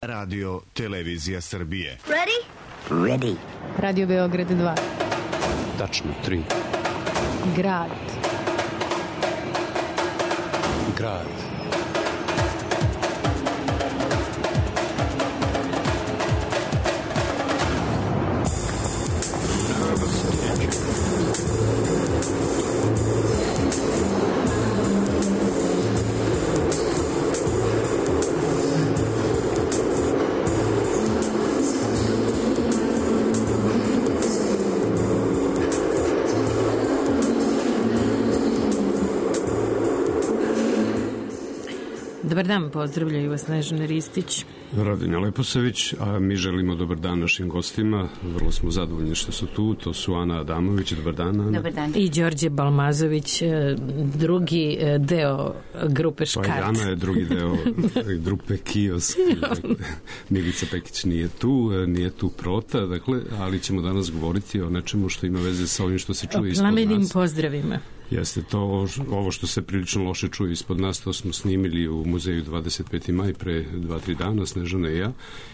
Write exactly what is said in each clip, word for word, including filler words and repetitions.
Radio Televizija Srbije. Ready? Ready. Radio Beograd dva. Tačno tri. Grad. Grad. Dobar dan, pozdravljaju vas Snežana Ristić, Rodinja Leposavić, a mi želimo dobar dan našim gostima. Vrlo smo zadovoljni što su tu. To su Ana Adamović, dobar dan, Ana. Dobar dan. I Đorđe Balmazović, drugi deo grupe Škart. Pa i Ana je drugi deo grupe Kiosk. Milica Pekić nije tu, nije tu Prota, dakle, ali ćemo danas govoriti o nečemu što ima veze sa ovim što se čuje ispod nas. O plamenim pozdravima. Jeste to, ovo što se prilično loše čuje ispod nas, to smo snimili u muzeju dvadeset peti maj pre dva tri dana, Snežana i ja,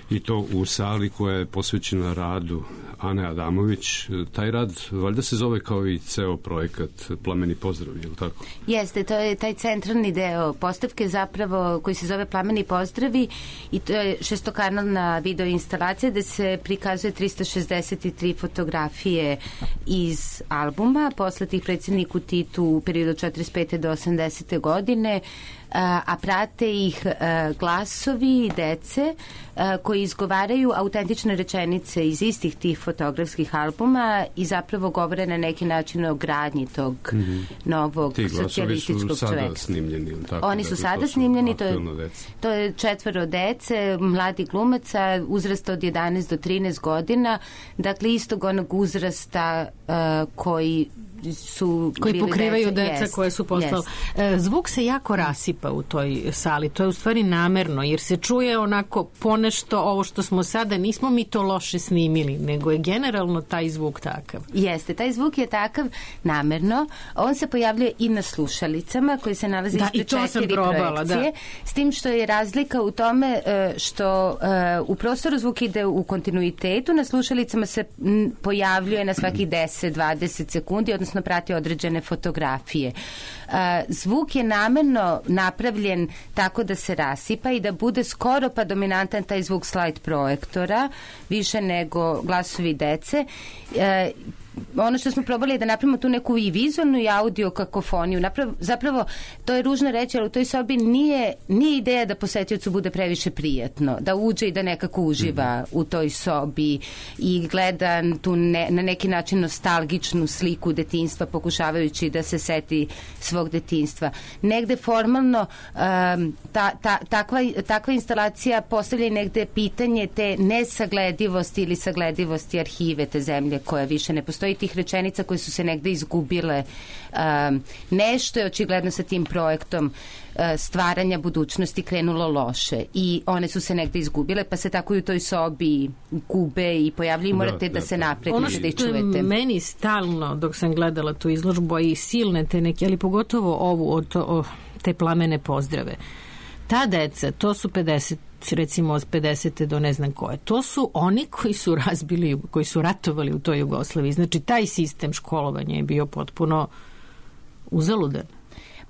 i to u sali koja je posvećena radu Ane Adamović. Taj rad valjda se zove kao i ceo projekat Plameni pozdravi, je li tako? Jeste, to je taj centralni deo postavke zapravo koji se zove Plameni pozdravi i to je šestokanalna video instalacija gde se prikazuje trista šezdeset tri fotografije iz albuma poslatih predsjedniku Titu u periodu od četrdeset pete do osamdesete godine, a prate ih glasovi dece koji izgovaraju autentične rečenice iz istih tih fotografskih albuma i zapravo govore na neki način o gradnji tog mm-hmm. novog socijalističkog čoveka. Ti glasovi su sada snimljeni. Tako, Oni su dakle, sada su snimljeni, to je, to je četvoro dece, mladi glumaca, uzrasta od jedanaest do trinaest godina, dakle istog onog uzrasta uh, koji su koji pokrivaju deca, deca jest, koje su postale. Zvuk se jako rasipa u toj sali, to je u stvari namerno, jer se čuje onako ponešto ovo što smo sada, nismo mi to loše snimili, nego je generalno taj zvuk takav. Jeste, taj zvuk je takav namerno, on se pojavljuje i na slušalicama koje se nalaze da, ispred četiri probala, projekcije, da. S tim što je razlika u tome što u prostoru zvuk ide u kontinuitetu, na slušalicama se pojavljuje na svakih deset do dvadeset sekundi, odnosno prati određene fotografije. Zvuk je namerno napravljen tako da se rasipa i da bude skoro pa dominantan taj zvuk slide projektora, više nego glasovi dece. Ono što smo probali je da napravimo tu neku i vizualnu i audio kakofoniju. Naprav, zapravo, to je ružno reći, ali u toj sobi nije, nije ideja da posetiocu bude previše prijatno, da uđe i da nekako uživa mm-hmm. u toj sobi i gleda tu ne, na neki način nostalgičnu sliku detinjstva, pokušavajući da se seti svog detinjstva. Negde formalno um, ta, ta, takva, takva instalacija postavlja i negde pitanje te nesagledivosti ili sagledivosti arhive te zemlje koja više ne postoji, i tih rečenica koje su se negde izgubile. Um, nešto je očigledno sa tim projektom uh, stvaranja budućnosti krenulo loše i one su se negde izgubile, pa se tako i u toj sobi gube i pojavljaju i morate da, da, da se napredite ono da ih čujete. Ono što je meni stalno dok sam gledala tu izložbu i silne te neke, ali pogotovo ovu od o, te plamene pozdrave, ta deca, to su pedeset recimo od pedesete do ne znam koje. To su oni koji su razbili, koji su ratovali u toj Jugoslaviji. Znači, taj sistem školovanja je bio potpuno uzaludan.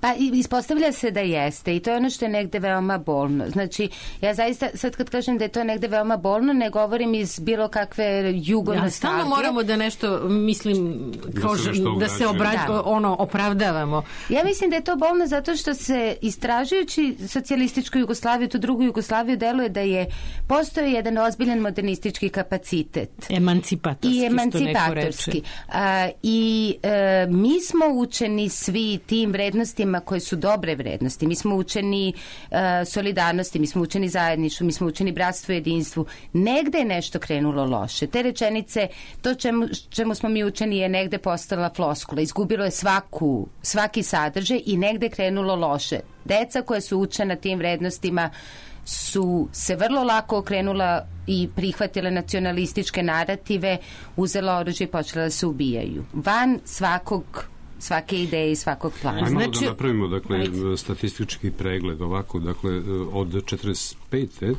Pa ispostavlja se da jeste i to je ono što je negde veoma bolno. Znači, ja zaista, sad kad kažem da je to negde veoma bolno, ne govorim iz bilo kakve jugonostalgije. Ja, stalno moramo da nešto, mislim, kao da, da se obra, da. ono, opravdavamo. Ja mislim da je to bolno zato što se istražujući socijalističku Jugoslaviju, tu drugu Jugoslaviju, deluje da je postoji jedan ozbiljan modernistički kapacitet. Emancipatorski, I emancipatorski. A, I e, mi smo učeni svi tim vrednostima koje su dobre vrednosti. Mi smo učeni uh, solidarnosti, mi smo učeni zajedništvu, mi smo učeni bratstvu i jedinstvu. Negde je nešto krenulo loše. Te rečenice, to čemu, čemu smo mi učeni je negde postala floskula. Izgubilo je svaku, svaki sadržaj i negde je krenulo loše. Deca koja su učena tim vrednostima su se vrlo lako okrenula i prihvatile nacionalističke narative, uzela oružje i počela da se ubijaju. Van svakog svake ideje i svakog plana. Ajmo znači, da napravimo dakle, statistički pregled ovako, dakle od četrdeset pete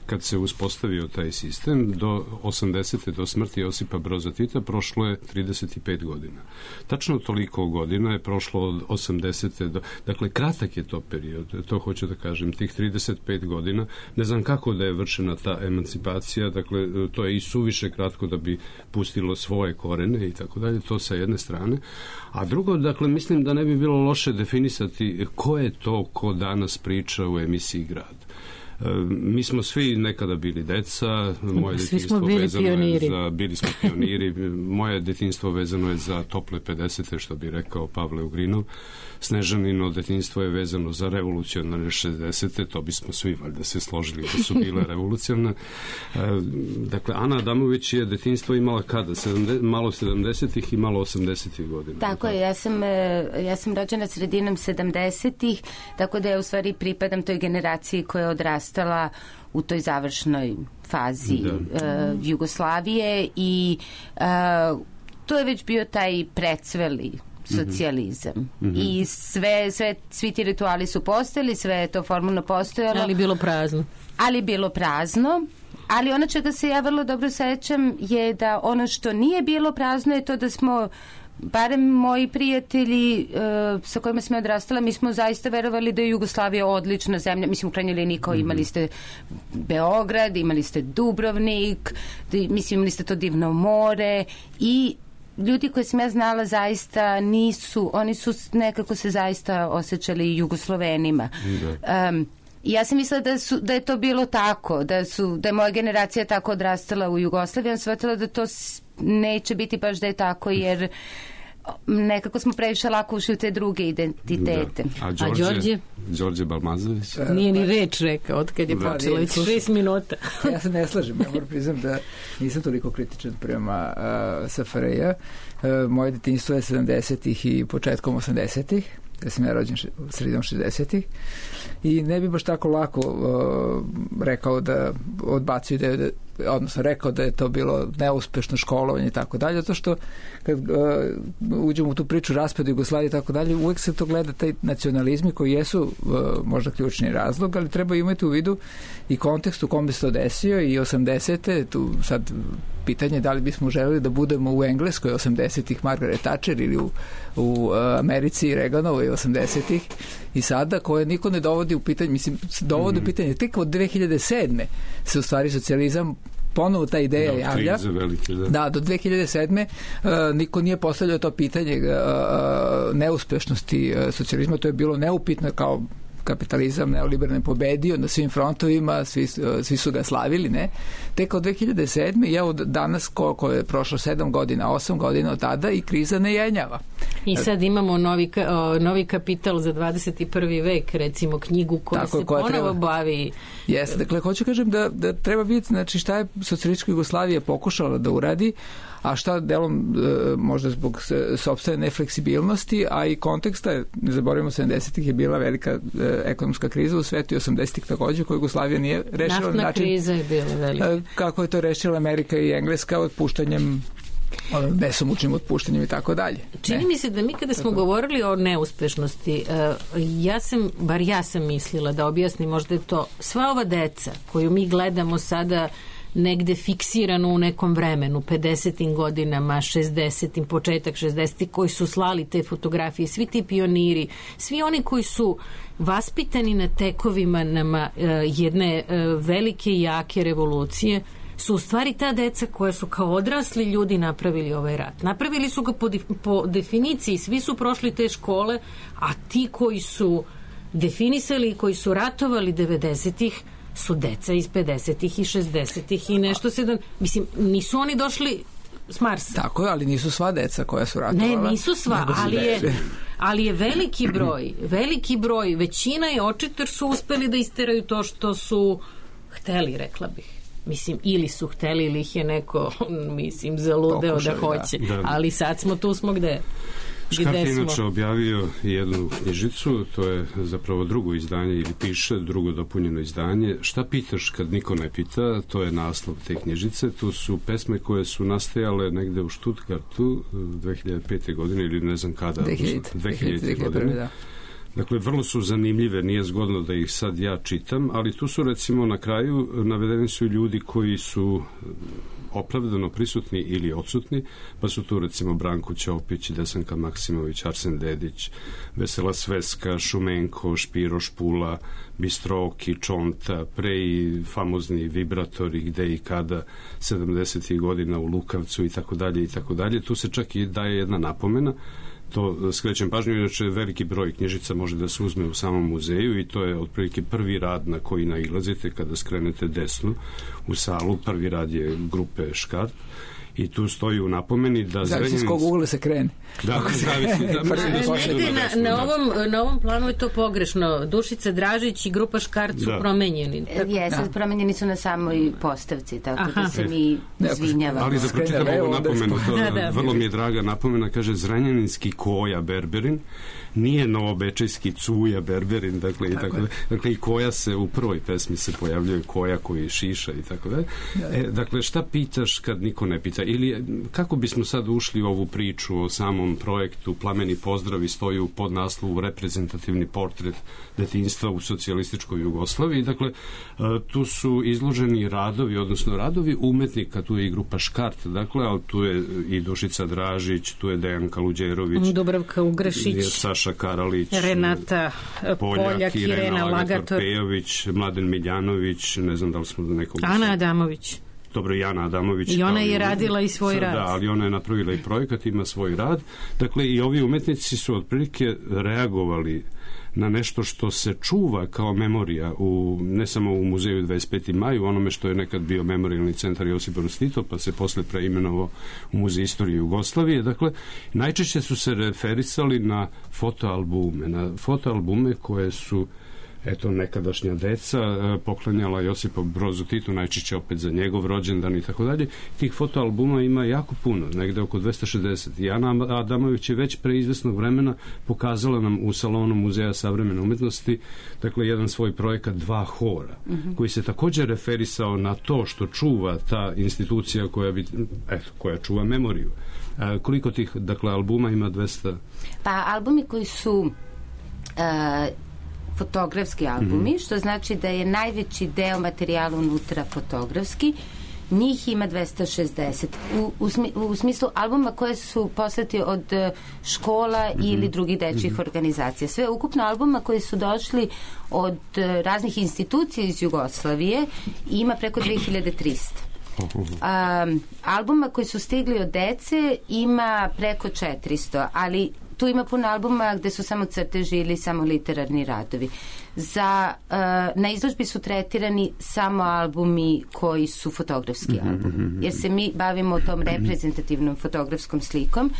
kad se uspostavio taj sistem, do osamdesete do smrti Josipa Broza Tita prošlo je trideset pet godina. Tačno toliko godina je prošlo od osamdesete do... Dakle, kratak je to period, to hoću da kažem, tih trideset pet godina. Ne znam kako da je vršena ta emancipacija, dakle, to je i suviše kratko da bi pustilo svoje korene i tako dalje, to sa jedne strane. A drugo, dakle, mislim da ne bi bilo loše definisati ko je to ko danas priča u emisiji Grad. Mi smo svi nekada bili deca, moje svi detinjstvo smo bili vezano pioniri. je za, bili smo pioniri, moje detinjstvo vezano je za tople pedesete, što bi rekao Pavle Ugrinov. Snežanino detinjstvo je vezano za revolucionarne šezdesete, to bismo svi valjda se složili da su bile revolucionarne. Dakle, Ana Adamović je detinjstvo imala kada? sedamdeset, malo sedamdesetih i malo osamdesetih godina. Tako je, ja sam, ja sam rođena sredinom sedamdesetih, tako da ja u stvari pripadam toj generaciji koja je odrastala u toj završnoj fazi uh, Jugoslavije i uh, to je već bio taj precveli socijalizam. Mm-hmm. I sve, sve, svi ti rituali su postojali, sve je to formalno postojalo. Ali bilo prazno. Ali bilo prazno. Ali ono čega se ja vrlo dobro sećam je da ono što nije bilo prazno je to da smo, barem moji prijatelji uh, sa kojima smo odrastala, mi smo zaista verovali da je Jugoslavija odlična zemlja. Mislim, u krajnjoj liniji kao imali ste Beograd, imali ste Dubrovnik, da, mislim, imali ste to divno more i ljudi koje sam ja znala zaista nisu, oni su nekako se zaista osjećali Jugoslovenima. Um, ja sam mislila da, su, da je to bilo tako, da, su, da je moja generacija tako odrastala u Jugoslaviji, ja sam shvatila da to neće biti baš da je tako, jer nekako smo previše lako ušli u te druge identitete. Da. A Đorđe, A Đorđe? Đorđe Balmazović? Nije ni reč rekao od kad je da, počelo, već šest minuta. Ja se ne slažem, ja moram priznam da nisam toliko kritičan prema uh, S F R J. Uh, moje detinjstvo je sedamdesetih i početkom osamdesetih. Ja sam ja rođen sredinom šezdesetih i ne bi baš tako lako uh, rekao da odbacuju da je, odnosno rekao da je to bilo neuspešno školovanje i tako dalje, zato što kad uh, uđemo u tu priču raspadu Jugoslavije i tako dalje, uvek se to gleda taj nacionalizmi koji jesu uh, možda ključni razlog, ali treba imati u vidu i kontekst u kom bi se to desio i osamdesete, tu sad pitanje da li bismo želeli da budemo u Engleskoj osamdesetih Margaret Thatcher ili u, u Americi Reaganovoj osamdesetih i sada koje niko ne dovodi u pitanje, mislim, dovodi u mm. pitanje tek od dve hiljade sedme se u stvari socijalizam ponovo ta ideja da, javlja. Velike, da. da, do dve hiljade sedme uh, niko nije postavljao to pitanje uh, neuspešnosti uh, socijalizma, to je bilo neupitno kao kapitalizam neoliberalno pobedio na svim frontovima, svi, svi su ga slavili, ne? Tek od dve hiljade sedme ja od danas koliko je prošlo sedam godina, osam godina od tada i kriza ne jenjava. I sad imamo novi, novi kapital za dvadeset i prvi vek, recimo knjigu koja Tako, se koja ponovo treba, bavi. Jeste, dakle, hoću kažem da, da treba vidjeti, znači, šta je socijalistička Jugoslavija pokušala da uradi, a šta delom e, možda zbog sopstvene nefleksibilnosti, a i konteksta, ne zaboravimo, sedamdesetih je bila velika e, ekonomska kriza u svetu i osamdesetih takođe, koju Jugoslavija nije rešila. Naftna način, kriza je bila velika. E, kako je to rešila Amerika i Engleska otpuštanjem, besomučnim otpuštanjem i tako dalje. Čini ne. mi se da mi kada smo tako govorili o neuspešnosti, ja sam, bar ja sam mislila da objasnim, možda je to sva ova deca koju mi gledamo sada negde fiksirano u nekom vremenu, pedesetim godinama, šezdesetim, početak šezdesetih, koji su slali te fotografije, svi ti pioniri, svi oni koji su vaspitani na tekovima nama jedne velike i jake revolucije, su u stvari ta deca koja su kao odrasli ljudi napravili ovaj rat. Napravili su ga po, po definiciji, svi su prošli te škole, a ti koji su definisali i koji su ratovali devedesetih su deca iz pedesetih i šezdesetih i nešto sedam. Mislim, nisu oni došli s Marsa. Tako je, ali nisu sva deca koja su ratovala. Ne, nisu sva, ali je, ali je veliki broj, veliki broj, većina je očito jer su uspeli da isteraju to što su hteli, rekla bih. Mislim, ili su hteli ili ih je neko, mislim, zaludeo Pokušaj, da hoće. Da. Ali sad smo tu smo gde. Škart je inače objavio jednu knjižicu, to je zapravo drugo izdanje ili piše, drugo dopunjeno izdanje. Šta pitaš kad niko ne pita, to je naslov te knjižice. Tu su pesme koje su nastajale negde u Stuttgartu dve hiljade pete godine ili ne znam kada. dve hiljade. dve hiljade. godine. Da. Dakle, vrlo su zanimljive, nije zgodno da ih sad ja čitam, ali tu su recimo na kraju navedeni su ljudi koji su opravdano prisutni ili odsutni, pa su tu recimo Branko Ćopić, Desanka Maksimović, Arsen Dedić, Vesela Sveska, Šumenko, Špiro Špula, Bistroki, Čonta, pre i famozni vibratori gde i kada sedamdesetih godina u Lukavcu i tako dalje i tako dalje. Tu se čak i daje jedna napomena, to skrećem pažnju, inače veliki broj knjižica može da se uzme u samom muzeju i to je otprilike prvi rad na koji nailazite kada skrenete desno u salu. Prvi rad je grupe Škart i tu stoji u napomeni da zavisi s kog ugla se krene. Da, zavisi. Da, da, negde na, na, ovom, na ovom planu je to pogrešno. Dušica Dražić i grupa Škart su da. promenjeni. Jesu, da. promenjeni su na samoj postavci, tako Aha. da se mi izvinjavamo. Ali da pročitam ovu napomenu, to da, da. vrlo mi je draga napomena, kaže Zrenjaninski Koja Berberin, nije novobečejski Cuja Berberin, dakle, tako i tako da. Dakle, i Koja se u prvoj pesmi se pojavljuje Koja koji šiša i tako da. E, dakle, šta pitaš kad niko ne pita? Ili kako bismo sad ušli u ovu priču o samom projektu Plameni pozdravi stoji u podnaslovu reprezentativni portret detinjstva u socijalističkoj Jugoslaviji. Dakle, tu su izloženi radovi, odnosno radovi umetnika, tu je i grupa Škart, dakle, ali tu je i Dušica Dražić, tu je Dejan Kaluđerović, Dubravka Ugrešić, Saša Karalić, Renata Poljak, Poljak Irena Lagator, Pejović, Mladen Miljanović, ne znam da li smo do nekog... Ana Adamović. Dobro, Jana Adamović. I ona je radila i svoj rad. Da, ali ona je napravila i projekat, ima svoj rad. Dakle, i ovi umetnici su otprilike reagovali na nešto što se čuva kao memorija u, ne samo u muzeju dvadeset peti maj, u onome što je nekad bio memorijalni centar Josip Broz Tito, pa se posle preimenovao u Muzej istorije Jugoslavije. Dakle, najčešće su se referisali na fotoalbume, na fotoalbume koje su eto, nekadašnja deca poklanjala Josipu Brozu Titu, najčešće opet za njegov rođendan i tako dalje. Tih fotoalbuma ima jako puno, negde oko dvesta šezdeset. I Ana Adamović je već pre izvesnog vremena pokazala nam u salonu Muzeja savremene umetnosti, dakle, jedan svoj projekat Dva hora, mm-hmm. koji se također referisao na to što čuva ta institucija koja, bi, eto, koja čuva memoriju. A, koliko tih, dakle, albuma ima? dvesta? Pa, albumi koji su... Uh, fotografski albumi, mm-hmm. što znači da je najveći deo materijala unutra fotografski, njih ima dvesta šezdeset. U, u, smi, u smislu albuma koje su poslati od škola mm-hmm. ili drugih dečjih mm-hmm. organizacija. Sve ukupno albuma koji su došli od raznih institucija iz Jugoslavije ima preko dve hiljade trista. Um, albuma koji su stigli od dece ima preko četiristo, ali tu ima puno albuma gde su samo crteži ili samo literarni radovi. Za, uh, na izložbi su tretirani samo albumi koji su fotografski albumi. Jer se mi bavimo tom reprezentativnom fotografskom slikom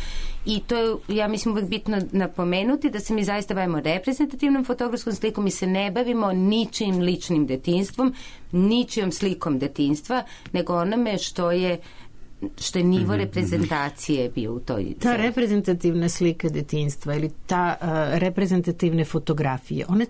i to je, ja mislim, uvek bitno napomenuti da se mi zaista bavimo reprezentativnom fotografskom slikom. Mi se ne bavimo ničim ličnim detinjstvom, ničijom slikom detinjstva, nego onome što je što je nivo reprezentacije bio u toj... Ta reprezentativna slika detinjstva ili ta uh, reprezentativne fotografije, one,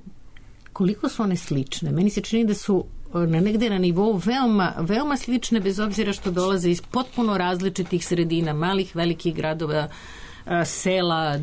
koliko su one slične? Meni se čini da su na negde na nivou veoma, veoma slične, bez obzira što dolaze iz potpuno različitih sredina, malih, velikih gradova, uh, sela,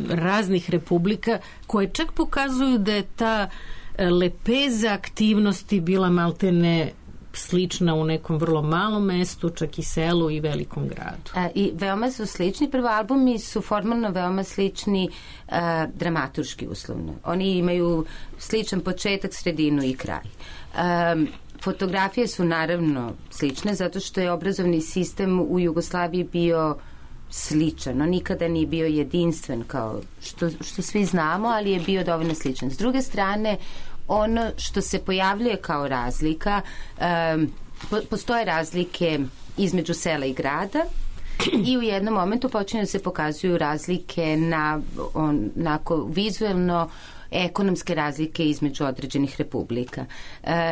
raznih republika, koje čak pokazuju da je ta uh, lepeza aktivnosti bila maltene slična u nekom vrlo malom mestu, čak i selu i velikom gradu. A, I veoma su slični. Prvo, albumi su formalno veoma slični a, dramaturški uslovno. Oni imaju sličan početak, sredinu i kraj. A, fotografije su naravno slične zato što je obrazovni sistem u Jugoslaviji bio sličan. On nikada nije bio jedinstven kao što, što svi znamo, ali je bio dovoljno sličan. S druge strane, ono što se pojavljuje kao razlika, um, po, postoje razlike između sela i grada i u jednom momentu počinju se pokazuju razlike na onako vizuelno ekonomske razlike između određenih republika.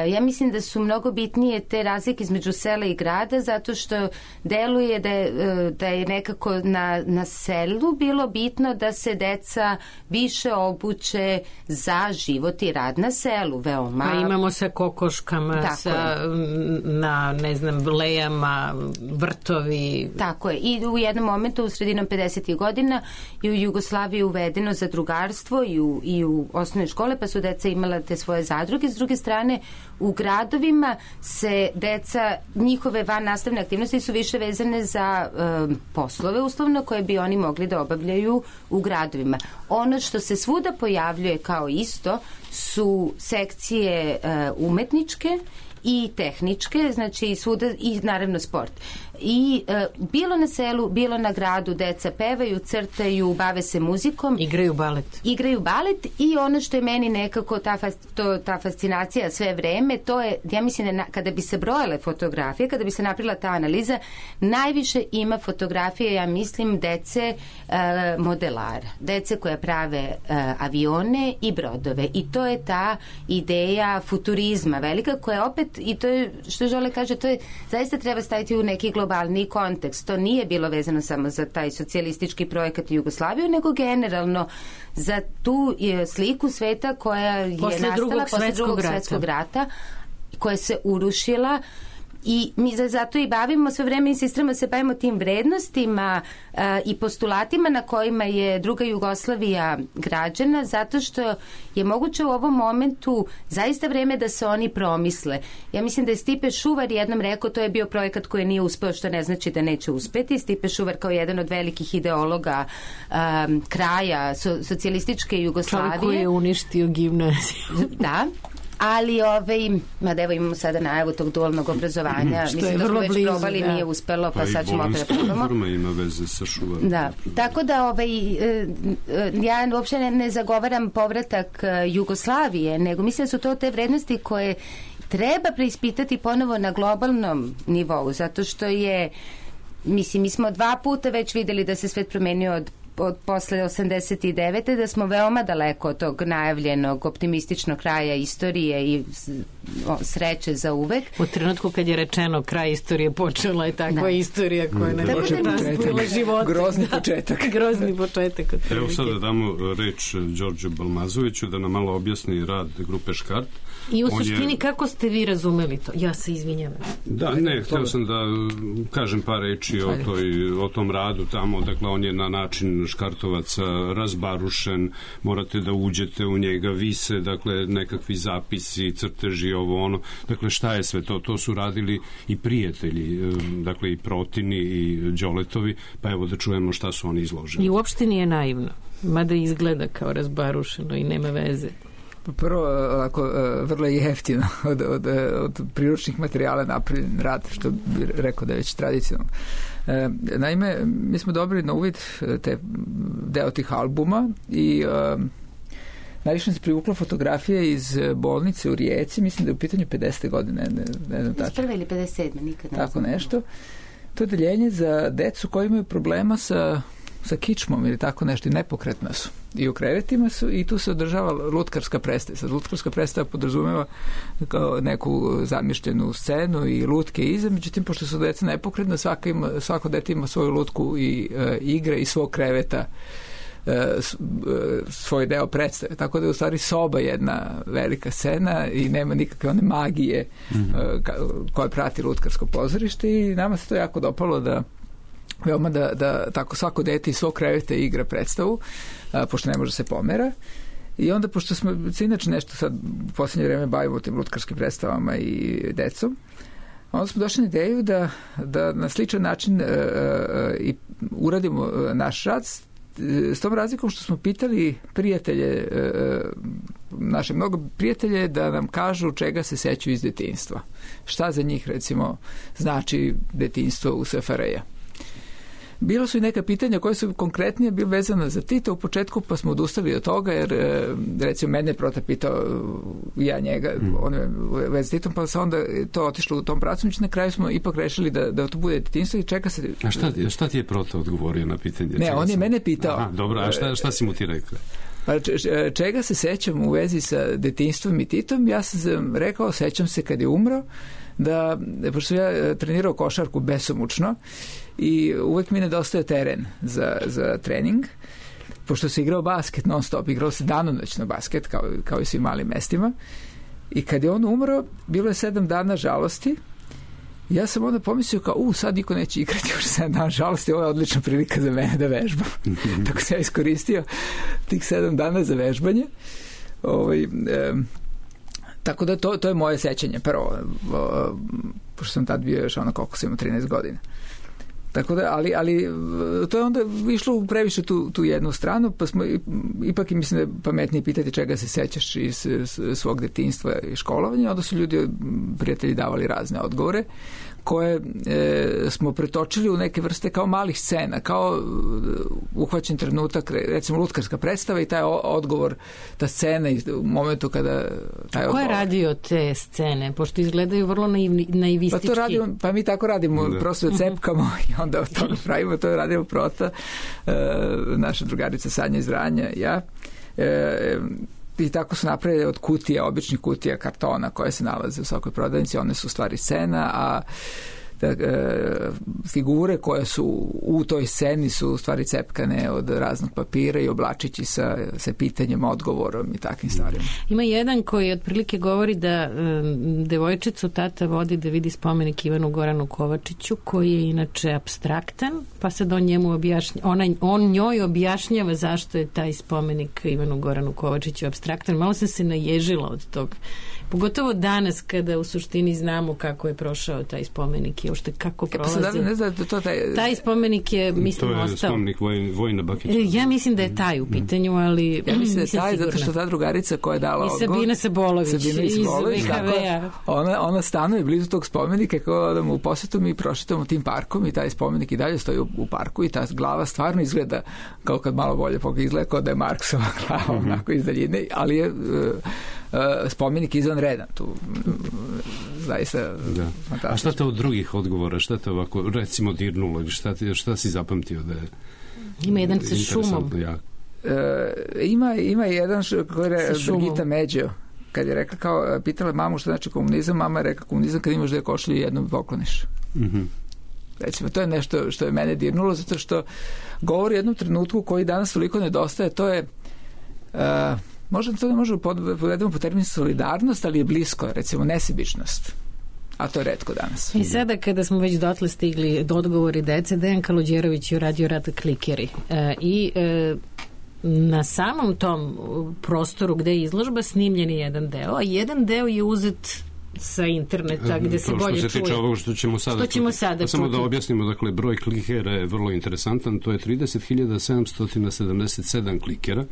Ja mislim da su mnogo bitnije te razlike između sela i grada, zato što deluje da je, da je nekako na, na selu bilo bitno da se deca više obuče za život i rad na selu. Veoma... Pa imamo sa kokoškama, tako sa, je. na, ne znam, lejama, vrtovi. Tako je. I u jednom momentu, u sredinom pedesetih godina, i u Jugoslaviji uvedeno zadrugarstvo i u, i u osnovne škole, pa su deca imala te svoje zadruge. S druge strane, u gradovima se deca, njihove van nastavne aktivnosti su više vezane za e, poslove uslovno koje bi oni mogli da obavljaju u gradovima. Ono što se svuda pojavljuje kao isto su sekcije e, umetničke i tehničke, znači svuda, i naravno sport. I e, bilo na selu, bilo na gradu deca pevaju, crtaju, bave se muzikom. Igraju balet. Igraju balet i ono što je meni nekako ta, to, ta fascinacija sve vreme, to je, ja mislim da na, kada bi se brojale fotografije, kada bi se napravila ta analiza, najviše ima fotografije, ja mislim, dece e, modelara. Dece koje prave e, avione i brodove. I to je ta ideja futurizma velika koja opet, i to je, što Žole kaže, to je, zaista treba staviti u neki globalni kontekst. To nije bilo vezano samo za taj socijalistički projekat Jugoslaviju, nego generalno za tu sliku sveta koja je posle nastala drugog posle drugog svetskog rata, koja se urušila. I mi zato i bavimo sve vreme, insistiramo se bavimo tim vrednostima uh, i postulatima na kojima je druga Jugoslavija građena, zato što je moguće u ovom momentu zaista vreme da se oni promisle. Ja mislim da je Stipe Šuvar jednom rekao, to je bio projekat koji nije uspeo, što ne znači da neće uspeti. Stipe Šuvar kao jedan od velikih ideologa um, kraja so, socijalističke Jugoslavije. Čovjek koji je uništio gimnaziju. Da. Ali, ovaj, mada evo imamo sada najavu tog dualnog obrazovanja, što mislim da smo već blizu, probali, da. Nije uspelo, pa, pa sad ćemo opet da probamo. Forma ima veze sa Šuvarom. Da, tako da ovaj, ja uopće ne, ne zagovaram povratak Jugoslavije, nego mislim da su to te vrednosti koje treba preispitati ponovo na globalnom nivou, zato što je, mislim, mi smo dva puta već videli da se svet promenio od od posle osamdeset devete da smo veoma daleko od tog najavljenog optimističnog kraja istorije i sreće za uvek. U trenutku kad je rečeno kraj istorije, počela je takva da. istorija koja ne može nastavila života. Grozni početak. Grozni početak. Evo sad da damo reč Đorđu Balmazoviću da nam malo objasni rad grupe Škart. I u On suštini je... kako ste vi razumeli to? Ja se izvinjam. Da, ne, htio sam da kažem par reči o, toj, o tom radu tamo. Dakle, on je na način Škartovaca razbarušen, morate da uđete u njega, vise, dakle, nekakvi zapisi, crteži, ovo ono. Dakle, šta je sve to? To su radili i prijatelji, dakle, i Protini i Đoletovi, pa evo da čujemo šta su oni izložili. I uopšte nije naivno, mada izgleda kao razbarušeno i nema veze. Prvo, ovako, vrlo je jeftino od, od, od priručnih materijala napravljen rad, što bi rekao da je već tradicionalno. E, naime, mi smo dobili na uvid te, deo tih albuma i e, najviše se privukla fotografije iz bolnice u Rijeci, mislim da je u pitanju pedesete godine, ne, ne znam tačno. Prve ili pedeset sedme, nikad ne Tako znam. Nešto. To je deljenje za decu koji imaju problema sa sa kičmom ili tako nešto i nepokretna su. I u krevetima su i tu se održava lutkarska predstava. Sad lutkarska predstava podrazumeva kao neku zamišljenu scenu i lutke iza, međutim, pošto su deca nepokretna, svako, ima, svako dete ima svoju lutku i e, igre i svog kreveta e, svoj deo predstave. Tako da je u stvari soba jedna velika scena i nema nikakve one magije mm-hmm. e, koja prati lutkarsko pozorište i nama se to jako dopalo da veoma da, da tako svako dete iz svog kreveta igra predstavu, a, pošto ne može se pomera. I onda, pošto smo se inače nešto sad u posljednje vreme bavimo tim lutkarskim predstavama i decom, onda smo došli na ideju da, da na sličan način e, e, i uradimo naš rad s, s tom razlikom što smo pitali prijatelje, e, naše mnogo prijatelje da nam kažu čega se sećaju iz detinjstva. Šta za njih, recimo, znači detinjstvo u S F R J. Bilo su i neka pitanja koje su konkretnije bile vezane za Tita u početku, pa smo odustali od toga, jer recimo mene je Prota pitao ja njega, mm. on je vez s Titom, pa se onda to otišlo u tom pracu, na kraju smo ipak rešili da, da to bude detinjstvo i čeka se... A šta, šta ti je Prota odgovorio na pitanje? Ne, on je sam... mene pitao. Aha, dobro, a šta, šta si mu ti rekao? Pa čega se sećam u vezi sa detinjstvom i Titom? Ja sam rekao, sećam se kad je umro, da, pošto ja trenirao košarku besomučno i uvek mi nedostaje teren za, za trening, pošto se igrao basket non stop, igrao se danonoćno basket, kao, kao i svim malim mestima. I kad je on umro, bilo je sedam dana žalosti. Ja sam onda pomislio kao, u, sad niko neće igrati još sedam dana žalosti, ovo je odlična prilika za mene da vežbam. Tako sam ja iskoristio tih sedam dana za vežbanje. Ovaj, e, tako da to, to je moje sećanje. Prvo, o, pošto sam tad bio još ono koliko sam imao trinaest godina. Tako da, ali, ali to je onda išlo previše tu, tu jednu stranu, pa smo ipak i mislim da je pametnije pitati čega se sećaš iz svog detinjstva i školovanja, onda su ljudi, prijatelji, davali razne odgovore koje e, smo pretočili u neke vrste kao malih scena, kao uhvaćen trenutak, recimo lutkarska predstava i taj odgovor, ta scena u momentu kada taj odgovor. Ko je radio te scene? Pošto izgledaju vrlo naivni, naivistički. Pa to radimo, pa mi tako radimo, da. Prosto cepkamo i onda od toga pravimo, to je radimo Prota, e, naša drugarica Sanja iz Vranja, ja. E, I tako su napravili od kutija, običnih kutija kartona koje se nalaze u svakoj prodavnici, one su u stvari scena, a da, e, figure koje su u toj sceni su u stvari cepkane od raznog papira i oblačići sa, sa pitanjem, odgovorom i takvim stvarima. Ima jedan koji otprilike govori da e, devojčicu tata vodi da vidi spomenik Ivanu Goranu Kovačiću, koji je inače apstraktan, pa sad on njemu objašnja, ona, on njoj objašnjava zašto je taj spomenik Ivanu Goranu Kovačiću apstraktan. Malo sam se naježila od tog. Pogotovo danas kada u suštini znamo kako je prošao taj spomenik i uopšte kako prolazi. E, pa ne znam, to taj... taj spomenik je, mislim, ostao. To je ostao. Spomenik Voj, Vojna Bakića. Ja mislim da je taj u pitanju, ali ja mislim da je taj, sigurna. Zato što ta drugarica koja je dala odgovor... I Sabina Sabolović, Sabina iz V H V-a. Ona, ona stanuje blizu tog spomenika, kao odamo u posetu, mi prošetamo tim parkom i taj spomenik i dalje stoji u, u parku i ta glava stvarno izgleda kao kad malo bolje pogleda, izgleda kao da je Marksova glava, mm-hmm. onako iz daljine, ali je... Uh, Uh, spomenik izvanredan tu zaista da. A šta te od drugih odgovora, šta te ovako recimo dirnulo, šta, ti, šta si zapamtio da je ima jedan sa šumom uh, ima, ima jedan š, koji je Brigita Međo kad je rekla kao, pitala mamu šta znači komunizam, mama je rekla komunizam kad imaš dve košulje i jednom pokloniš. mm-hmm. Recimo, to je nešto što je mene dirnulo zato što govori o jednom trenutku koji danas toliko nedostaje, to je uh, možda to ne možemo povedemo po terminu solidarnost, ali je blisko, recimo nesebičnost. A to je retko danas. I sada kada smo već dotle stigli do odgovori dece, Dejan Kaluđerović je uradio rad Klikeri. E, I e, na samom tom prostoru gde je izložba snimljen je jedan deo, a jedan deo je uzet sa interneta gde se bolje čuje. To što se tiče ovog što ćemo sada što ćemo sada samo da objasnimo, dakle, broj klikera je vrlo interesantan, to je trideset hiljada sedamsto sedamdeset sedam klikera,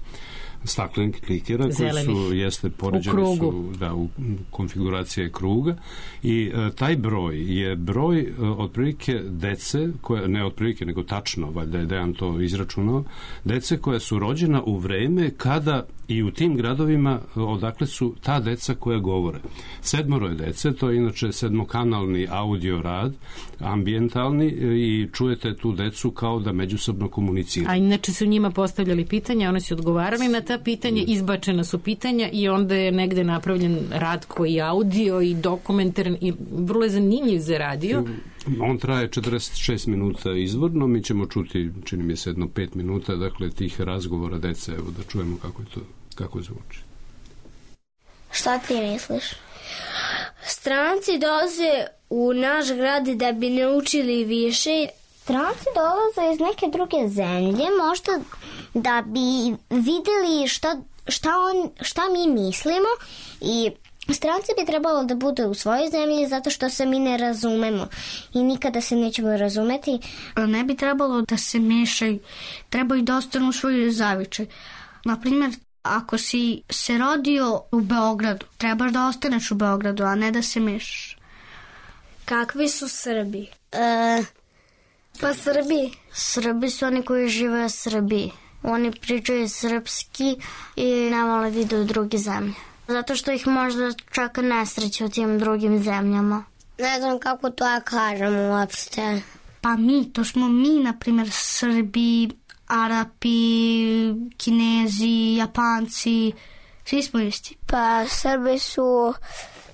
staklenih klikera koji su jeste poređeni su da, u konfiguracije kruga i e, taj broj je broj e, otprilike dece koje, ne otprilike nego tačno, valjda je Dejan to izračunao, dece koja su rođena u vreme kada i u tim gradovima odakle su ta deca koja govore. Sedmoro je dece, to je inače sedmokanalni audio rad, ambijentalni, i čujete tu decu kao da međusobno komuniciraju. A inače su njima postavljali pitanja, one su odgovarali na ta pitanja, izbačena su pitanja i onda je negde napravljen rad koji je audio i dokumentaran i vrlo je zanimljiv za radio. On traje četrdeset šest minuta izvorno, mi ćemo čuti, čini mi se, jedno pet minuta, dakle, tih razgovora dece, evo da čujemo kako je to, kako zvuči. Šta ti misliš? Stranci dolaze u naš grad da bi naučili više. Stranci dolaze iz neke druge zemlje, možda da bi videli šta, šta, on, šta mi mislimo i stranci bi trebalo da budu u svojoj zemlji zato što se mi ne razumemo i nikada se nećemo razumeti. Ne bi trebalo da se mešaju, trebaju da ostanu u svojoj zavičaj. Naprimjer, ako si se rodio u Beogradu, trebaš da ostaneš u Beogradu, a ne da se mešaš. Kakvi su Srbi? E, pa Srbi. Srbi su oni koji žive u Srbiji. Oni pričaju srpski i ne vole da idu u druge zemlje. Zato što ih možda čeka nesreća u tim drugim zemljama. Ne znam kako to ja kažem uopšte. Pa mi, to smo mi, na primjer, Srbi, Arapi, Kinezi, Japanci, svi smo isti. Pa Srbi su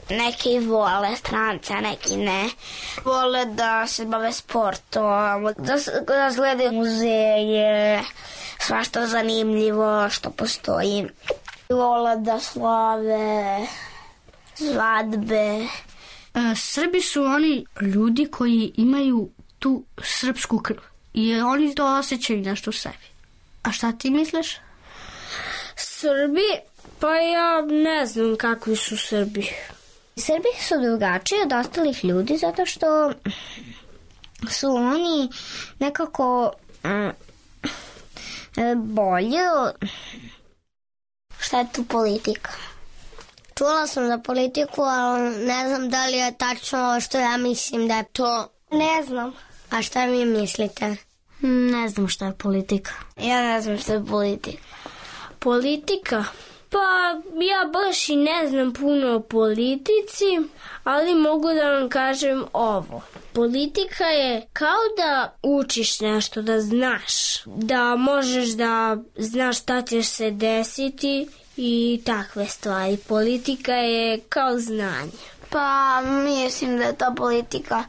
neki vole strance, a neki ne. Vole da se bave sportom, da, da gledaju muzeje, svašta zanimljivo što postoji. Vole da slave svadbe. Srbi su oni ljudi koji imaju tu srpsku krv i oni to osjećaju nešto u sebi. A šta ti misliš? Srbi? Pa ja ne znam kakvi su Srbi. Srbi su drugačiji od ostalih ljudi zato što su oni nekako mm, bolje. Šta je tu politika? Čula sam za politiku, ali ne znam da li je tačno što ja mislim da je to. Ne znam. A šta vi mislite? Ne znam šta je politika. Ja ne znam šta je politika. Politika? Pa ja baš i ne znam puno o politici, ali mogu da vam kažem ovo. Politika je kao da učiš nešto, da znaš. Da možeš da znaš šta će se desiti i takve stvari. Politika je kao znanje. Pa mislim da je ta politika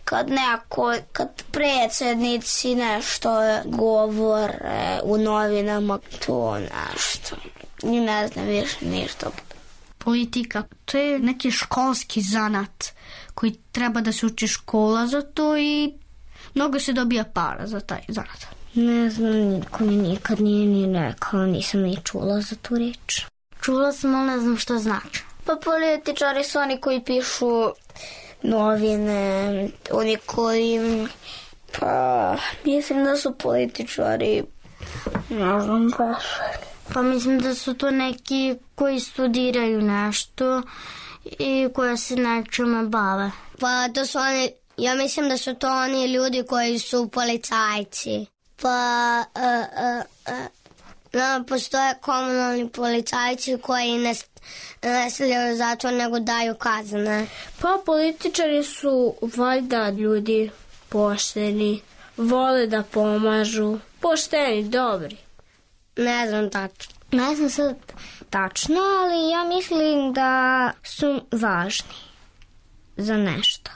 kad neko, kad predsjednici nešto govore u novinama, to nešto. I ne znam više ništa. Politika, to je neki školski zanat koji treba da se uči škola za to i mnogo se dobija para za taj zanat. Ne znam, niko mi nikad nije ni rekao, nisam ni čula za tu reč. Čula sam, ali ne znam što znači. Pa političari su oni koji pišu novine, oni koji, pa mislim da su političari, ne znam baš. Pa mislim da su to neki koji studiraju nešto i koji se nečime bave. Pa to su oni, ja mislim da su to oni ljudi koji su policajci. Pa uh, uh, uh, no, postoje komunalni policajci koji ne, ne stavljaju zatvor nego daju kazne. Pa političari su valjda ljudi pošteni, vole da pomažu, pošteni, dobri. Ne znam tačno. Ne znam sad tačno, ali ja mislim da su važni za nešto.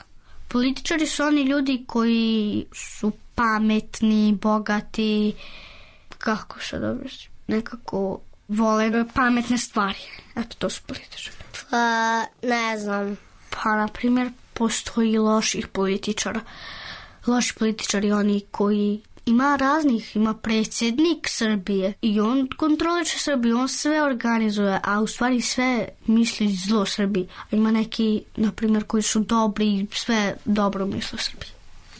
Političari su oni ljudi koji su pametni, bogati, kako se dobro, nekako vole pametne stvari. Eto, to su političari. Pa, ne znam. Pa, na primjer, postoji loših političara. Loši političari, oni koji ima raznih, ima predsjednik Srbije i on kontroliče Srbiju, on sve organizuje, a u stvari sve misli zlo Srbiji. A ima neki, na primjer, koji su dobri i sve dobro misle Srbiji.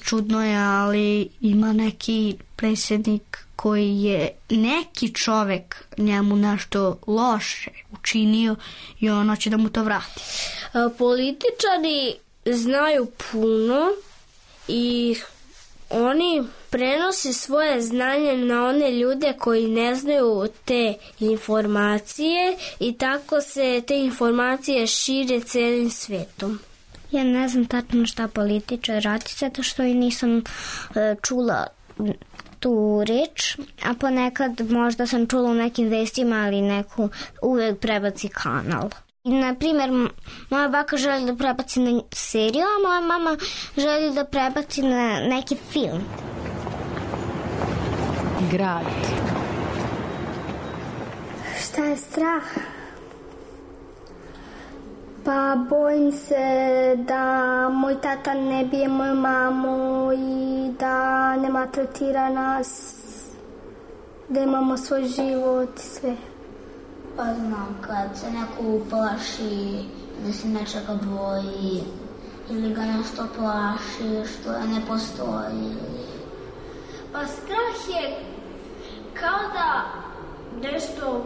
Čudno je, ali ima neki predsjednik koji je neki čovek njemu nešto loše učinio i on će da mu to vrati. Političari znaju puno i oni prenose svoje znanje na one ljude koji ne znaju te informacije i tako se te informacije šire celim svetom. Ja ne znam tačno šta političar radi, zato što i nisam uh, čula tu reč, a ponekad možda sam čula u nekim vestima, ali neko uvek prebaci kanal. Na primjer, moja baka želi da prebaci na seriju, a moja mama želi da prebaci na neki film. Grad. Šta je strah? Pa bojim se da moj tata ne bije moju mamu i da ne maltretira nas, da imamo svoj život i sve. Pa znam, kad se neko uplaši, da se nečega boji ili ga nešto plaši što ne postoji. Pa strah je kao da nešto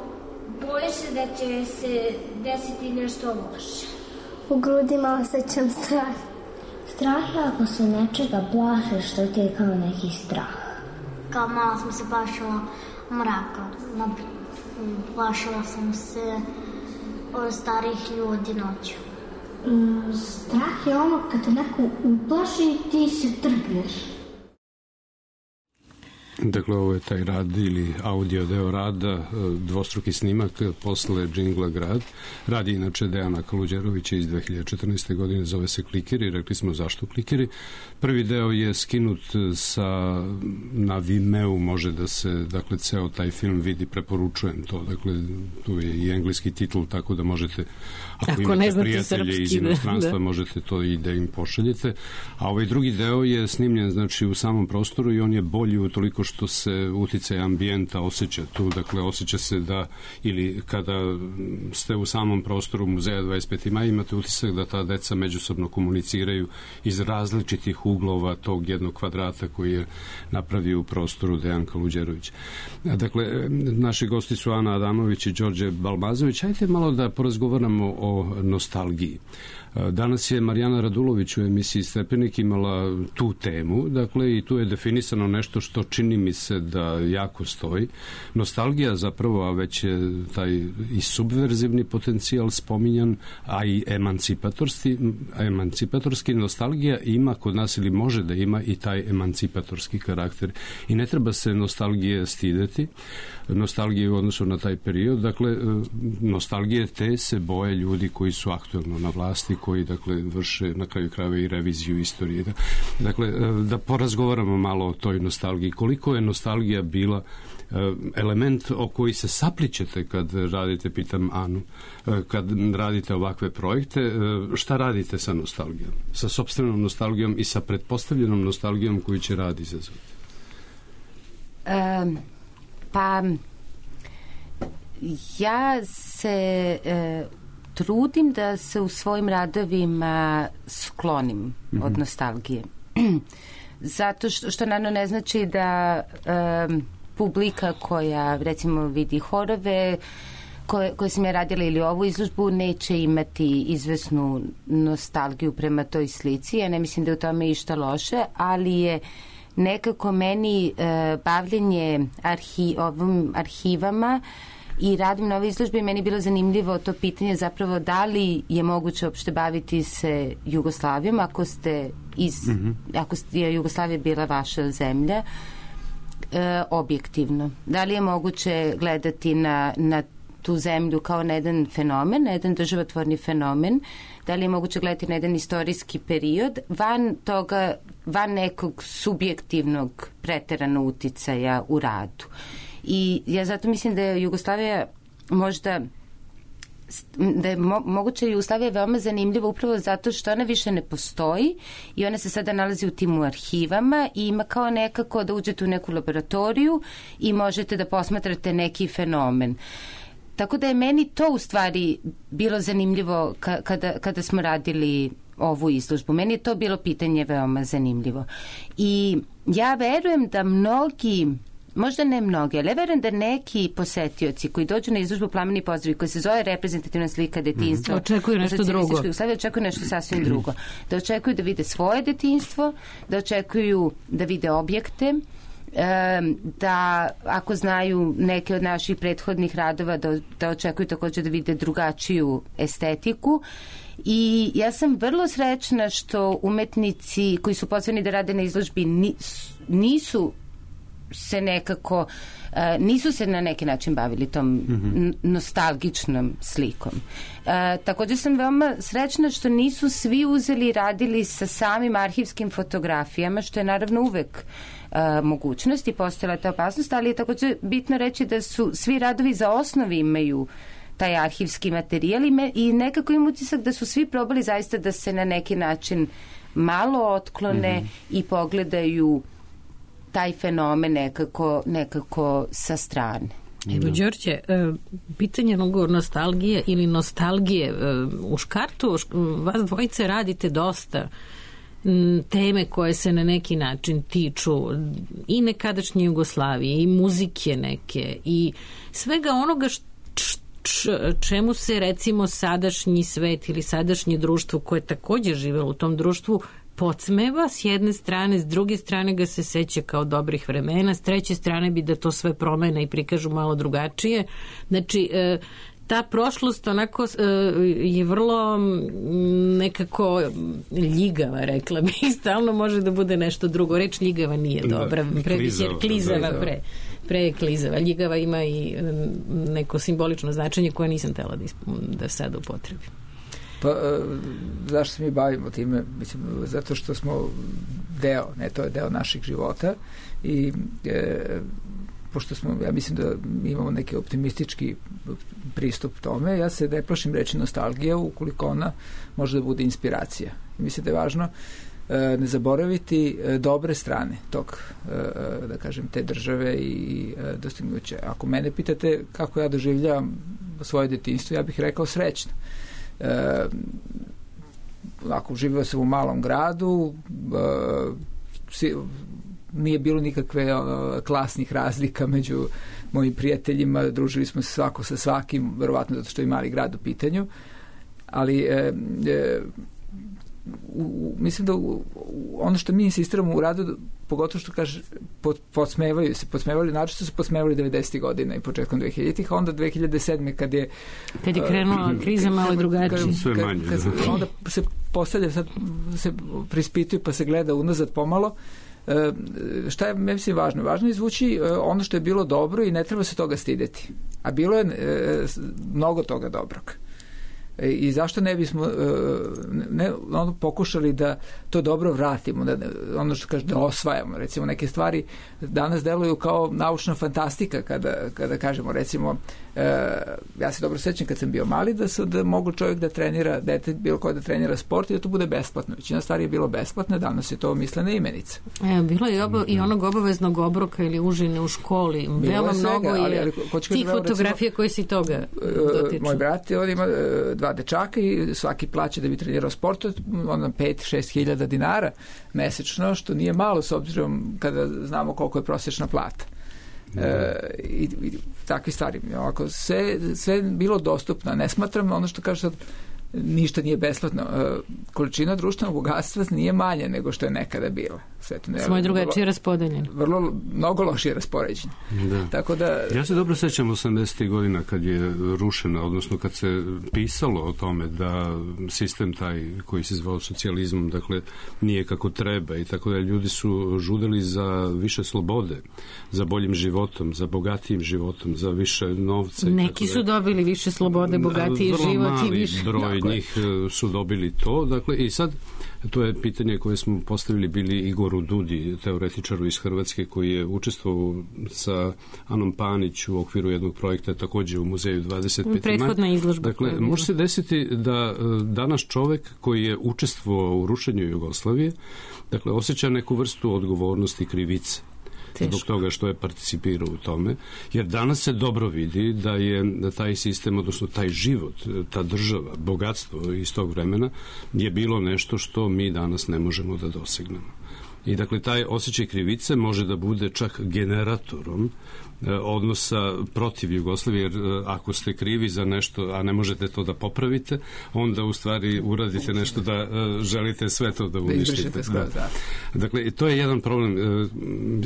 boji se da će se desiti nešto loše. U grudima osjećam strah. Strah je ako se nečega plaše, što ti je kao neki strah. Kao malo sam se plašila mraka. Plašila sam se od starih ljudi noću. Mm, strah je ono kad te neko uplaši i ti se trgneš. Dakle, ovo je taj rad ili audio deo rada, dvostruki snimak posle džingla Grad. Radi inače Dejana Kaluđerovića iz dve hiljade četrnaeste. godine, zove se Klikeri, rekli smo zašto Klikeri. Prvi deo je skinut sa, na Vimeo, može da se, dakle, ceo taj film vidi, preporučujem to, dakle, tu je i engleski titl, tako da možete, ako, ako imate prijatelje iz inostranstva, da. možete to i da im pošaljete. A ovaj drugi deo je snimljen, znači, u samom prostoru i on je bolji utoliko što se uticaj ambijenta osjeća tu, dakle, osjeća se da, ili kada ste u samom prostoru Muzeja dvadeset peti maj, imate utisak da ta deca međusobno komuniciraju iz različitih uglova tog jednog kvadrata koji je napravio u prostoru Dejan Kaluđerović. Dakle, naši gosti su Ana Adamović i Đorđe Balmazović. Hajde malo da porazgovaramo o nostalgiji. Danas je Marijana Radulović u emisiji Stepenik imala tu temu, dakle, i tu je definisano nešto što čini mi se da jako stoji. Nostalgija zapravo, a već je taj i subverzivni potencijal spominjan, a i emancipatorski, emancipatorski nostalgija ima kod nas ili može da ima i taj emancipatorski karakter. I ne treba se nostalgije stideti, nostalgije u odnosu na taj period, dakle, nostalgije te se boje ljudi koji su aktuelno na vlasti, koji, dakle, vrše na kraju krajeva i reviziju istorije. Dakle, da porazgovaramo malo o toj nostalgiji. Koliko je nostalgija bila element o koji se saplićete kad radite, pitam Anu, kad radite ovakve projekte, šta radite sa nostalgijom? Sa sopstvenom nostalgijom i sa pretpostavljenom nostalgijom koju će rad izazvati? Um, pa ja se uh, trudim da se u svojim radovima sklonim mm-hmm. od nostalgije. Zato što, što naravno ne znači da um, publika koja, recimo, vidi horove koje, koje sam ja radila ili ovu izložbu neće imati izvesnu nostalgiju prema toj slici. Ja ne mislim da je u tome išta loše, ali je nekako meni uh, bavljenje arhi, ovim arhivama i radim na ovoj izložbi, meni je bilo zanimljivo to pitanje zapravo da li je moguće uopšte baviti se Jugoslavijom ako ste iz, mm-hmm. ako je Jugoslavija bila vaša zemlja, e, objektivno. Da li je moguće gledati na, na tu zemlju kao na jedan fenomen, na jedan državotvorni fenomen, da li je moguće gledati na jedan istorijski period, van toga, van nekog subjektivnog preterano uticaja u radu. I ja zato mislim da je Jugoslavija možda da je mo, moguće Jugoslavija veoma zanimljiva upravo zato što ona više ne postoji i ona se sada nalazi u tim arhivama i ima kao nekako da uđete u neku laboratoriju i možete da posmatrate neki fenomen. Tako da je meni to u stvari bilo zanimljivo ka, kada, kada smo radili ovu izložbu. Meni je to bilo pitanje veoma zanimljivo. I ja verujem da mnogi, možda ne mnogi, ali ja verujem da neki posetioci koji dođu na izložbu Plameni pozdravi, koji se zove reprezentativna slika detinjstva, mm. očekuju nešto drugo. Očekuju nešto sasvim drugo. Da očekuju da vide svoje detinjstvo, da očekuju da vide objekte, da ako znaju neke od naših prethodnih radova da, da očekuju također da vide drugačiju estetiku. I ja sam vrlo srećna što umetnici koji su pozvani da rade na izložbi nisu se nekako nisu se na neki način bavili tom mm-hmm. nostalgičnom slikom. E, također sam veoma srećna što nisu svi uzeli i radili sa samim arhivskim fotografijama, što je naravno uvek e, mogućnost i postojala ta opasnost, ali je također bitno reći da su svi radovi za osnovi imaju taj arhivski materijal i, me, i nekako im utisak da su svi probali zaista da se na neki način malo otklone mm-hmm. i pogledaju taj fenomen nekako, nekako sa strane. Evo, Đorđe, pitanje nostalgije ili nostalgije u Škartu, vas dvojice radite dosta teme koje se na neki način tiču i nekadašnje Jugoslavije i muzike neke i svega onoga što čemu se recimo sadašnji svet ili sadašnje društvo koje također živelo u tom društvu podsmeva s jedne strane, s druge strane ga se seća kao dobrih vremena, s treće strane bi da to sve promene i prikažu malo drugačije. Znači, ta prošlost onako uh, je vrlo nekako ljigava, rekla bih, stalno može da bude nešto drugo. Reč ljigava nije dobra, pre, klizava, jer klizava pre, pre je klizava. Ljigava ima i neko simbolično značenje koje nisam htela da, da sada upotrebim. Pa, zašto se mi bavimo time? Mislim, zato što smo deo, ne, to je deo naših života i e, pošto smo, ja mislim da imamo neki optimistički pristup tome, ja se ne plašim reći nostalgija ukoliko ona može da bude inspiracija. Mislim da je važno e, ne zaboraviti e, dobre strane tog, e, da kažem, te države i e, dostignuća. Ako mene pitate kako ja doživljavam svoje detinjstvo, ja bih rekao srećno. E, ako živio sam u malom gradu, e, si, nije bilo nikakve e, klasnih razlika među mojim prijateljima, družili smo se svako sa svakim, verovatno zato što je mali grad u pitanju, ali e, e, u, u, mislim da u, u, ono što mi insistiramo u radu, pogotovo što kaže pod, podsmevaju se, podsmevali, način su se podsmevali devedesetih godina i početkom dvehiljaditih, a onda dve hiljade sedme kad je kad je krenula uh, kriza malo drugačije, sve manje, kad, kad, onda se postavlja, sad se prispituju pa se gleda unazad pomalo. Uh, šta je, mislim, važno? Važno je izvući uh, ono što je bilo dobro i ne treba se toga stideti. A bilo je uh, mnogo toga dobrog. I zašto ne bismo ne, ono, pokušali da to dobro vratimo, da, ono što kaže, da osvajamo. Recimo, neke stvari danas deluju kao naučna fantastika kada, kada kažemo, recimo, e, ja se dobro sećam kad sam bio mali da, su, da mogu čovjek da trenira, dete bilo ko da trenira sport i da to bude besplatno. Većina stvari je bilo besplatno, danas je to mislena imenica. E, bilo je oba, i onog obaveznog obroka ili užine u školi. Veoma mnogo je ali, ali, tih fotografija koje si toga dotiču. Moj brat, on ima dva dečaka i svaki plaća da bi trenirao sport, onda pet šest hiljada dinara mesečno, što nije malo s obzirom kada znamo koliko je prosječna plata. E, i, i takve stvari. Ovako, sve, sve bilo dostupno. Ne smatram ono što kaže sad ništa nije besplatno. E, količina društvenog bogatstva nije manja nego što je nekada bila. Sve to ne, Smo je drugačije raspodeljeno. Vrlo, mnogo lošije raspoređeno. Da. Tako da... Ja se dobro sećam osamdesetih godina kad je rušena, odnosno kad se pisalo o tome da sistem taj koji se zvao socijalizmom, dakle, nije kako treba i tako da ljudi su žudeli za više slobode, za boljim životom, za bogatijim životom, za više novca. Neki i tako su dobili više slobode, bogatiji život i više. Broj dakle. njih su dobili to, dakle, i sad to je pitanje koje smo postavili bili Igoru Dudi, teoretičaru iz Hrvatske, koji je učestvovao sa Anom Panić u okviru jednog projekta također u muzeju dvadeset peti maj. Prethodna izložba. Dakle, može se desiti da danas čovek koji je učestvovao u rušenju Jugoslavije, dakle, osjeća neku vrstu odgovornosti i krivice. Teško. Zbog toga što je participirao u tome, jer danas se dobro vidi da je da taj sistem, odnosno taj život, ta država, bogatstvo iz tog vremena je bilo nešto što mi danas ne možemo da dosegnemo. I dakle, taj osjećaj krivice može da bude čak generatorom odnosa protiv Jugoslavije, jer ako ste krivi za nešto, a ne možete to da popravite, onda u stvari uradite nešto da želite sve to da uništite. Da. Dakle, to je jedan problem.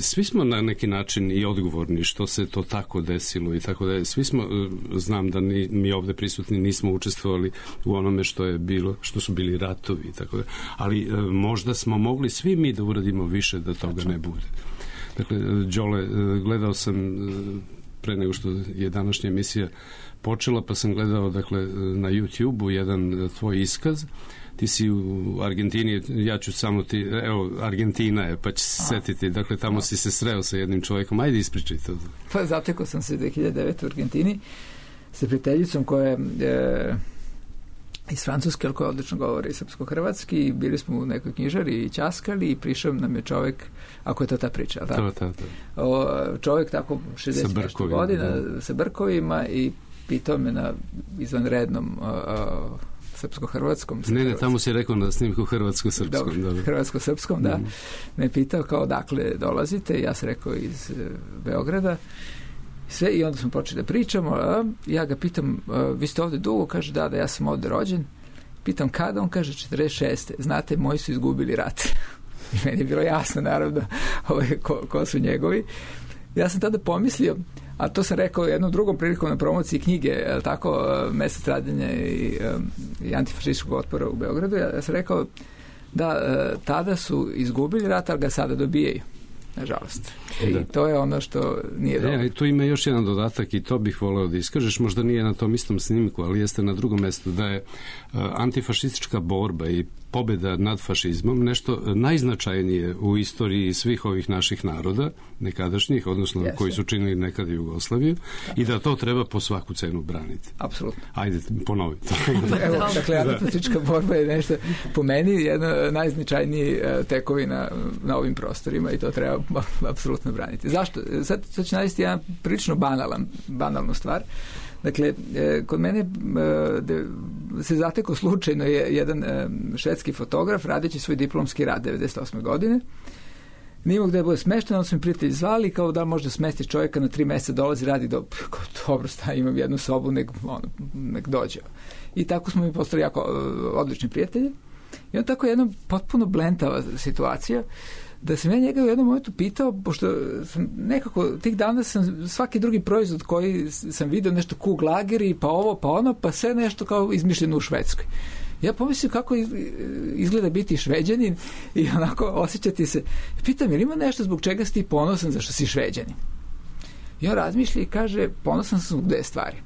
Svi smo na neki način i odgovorni što se to tako desilo i tako da je. Svi smo, znam da ni, mi ovde prisutni nismo učestvovali u onome što je bilo, što su bili ratovi i tako da. Ali možda smo mogli svi mi da uradimo više da toga ne bude. Dakle, Đole, gledao sam pre nego što je današnja emisija počela, pa sam gledao, dakle, na YouTube-u jedan tvoj iskaz. Ti si u Argentini, ja ću samo ti, evo, Argentina je, pa će se setiti, dakle, tamo A. si se sreo sa jednim čovjekom. Ajde, ispričaj to. Pa zatekao sam se dve hiljade devete u Argentini sa prijateljicom koja je e, iz Francuske, ali koja odlično govori srpsko-hrvatski, i bili smo u nekoj knjižari i ćaskali i prišao nam je čovjek, ako je to ta priča, tako? To, to, to. O, čovjek tako šezdeset nešto godina da. sa brkovima i pitao me na izvanrednom o, o, srpsko-hrvatskom. Ne, ne, tamo si rekao na snimku hrvatsko-srpskom. Dobro, hrvatsko-srpskom, da. Mm. Me pitao kao dakle dolazite, ja sam rekao iz uh, Beograda. Sve, i onda smo počeli da pričamo, a ja ga pitam, a, vi ste ovde dugo? Kaže, da, da, ja sam ovde rođen. Pitam kada? On kaže, četrdeset šeste. Znate, moji su izgubili rat. I meni je bilo jasno, naravno, ovaj, ko, ko su njegovi. ja sam tada pomislio, a to sam rekao jednom drugom prilikom na promociji knjige, tako, Mesec stradanja i, i antifašističkog otpora u Beogradu, ja sam rekao da tada su izgubili rat, ali ga sada dobijaju. Nažalost. I da. To je ono što nije dobro. E, tu ima još jedan dodatak i to bih voleo da iskažeš, možda nije na tom istom snimku, ali jeste na drugom mestu, da je uh, antifašistička borba i pobjeda nad fašizmom nešto najznačajnije u istoriji svih ovih naših naroda, nekadašnjih, odnosno Jeste. koji su činili nekad Jugoslaviju, i da to treba po svaku cenu braniti. Apsolutno. Ajde, ponovi to. Evo, dakle, antifašistička borba je nešto, po meni, jedna najznačajniji tekovina na ovim prostorima i to treba apsolutno braniti. Zašto? Sad, sad ću navesti jedan prilično banalan, banalnu stvar. Dakle, kod mene se zatekao slučajno je jedan švedski fotograf radeći svoj diplomski rad devedeset osme godine. Nije mogu da je bude smešten, onda su mi prijatelji zvali kao da može da smesti čovjeka na tri mjeseca, dolazi, radi, do, dobro sta, imam jednu sobu, nek, ono, nek dođe. I tako smo mi postali jako odlični prijatelji. I on tako jedna potpuno blentava situacija, da sam ja njega u jednom momentu pitao, pošto sam nekako tih dana sam svaki drugi proizvod koji sam vidio nešto Kug Lageri, pa ovo, pa ono, pa sve nešto kao izmišljeno u Švedskoj. Ja pomislio kako izgleda biti Šveđanin i onako osjećati se. Pitam, je li ima nešto zbog čega si ti ponosan zašto si Šveđanin? I on razmišlja i kaže, ponosan sam zbog dve stvari.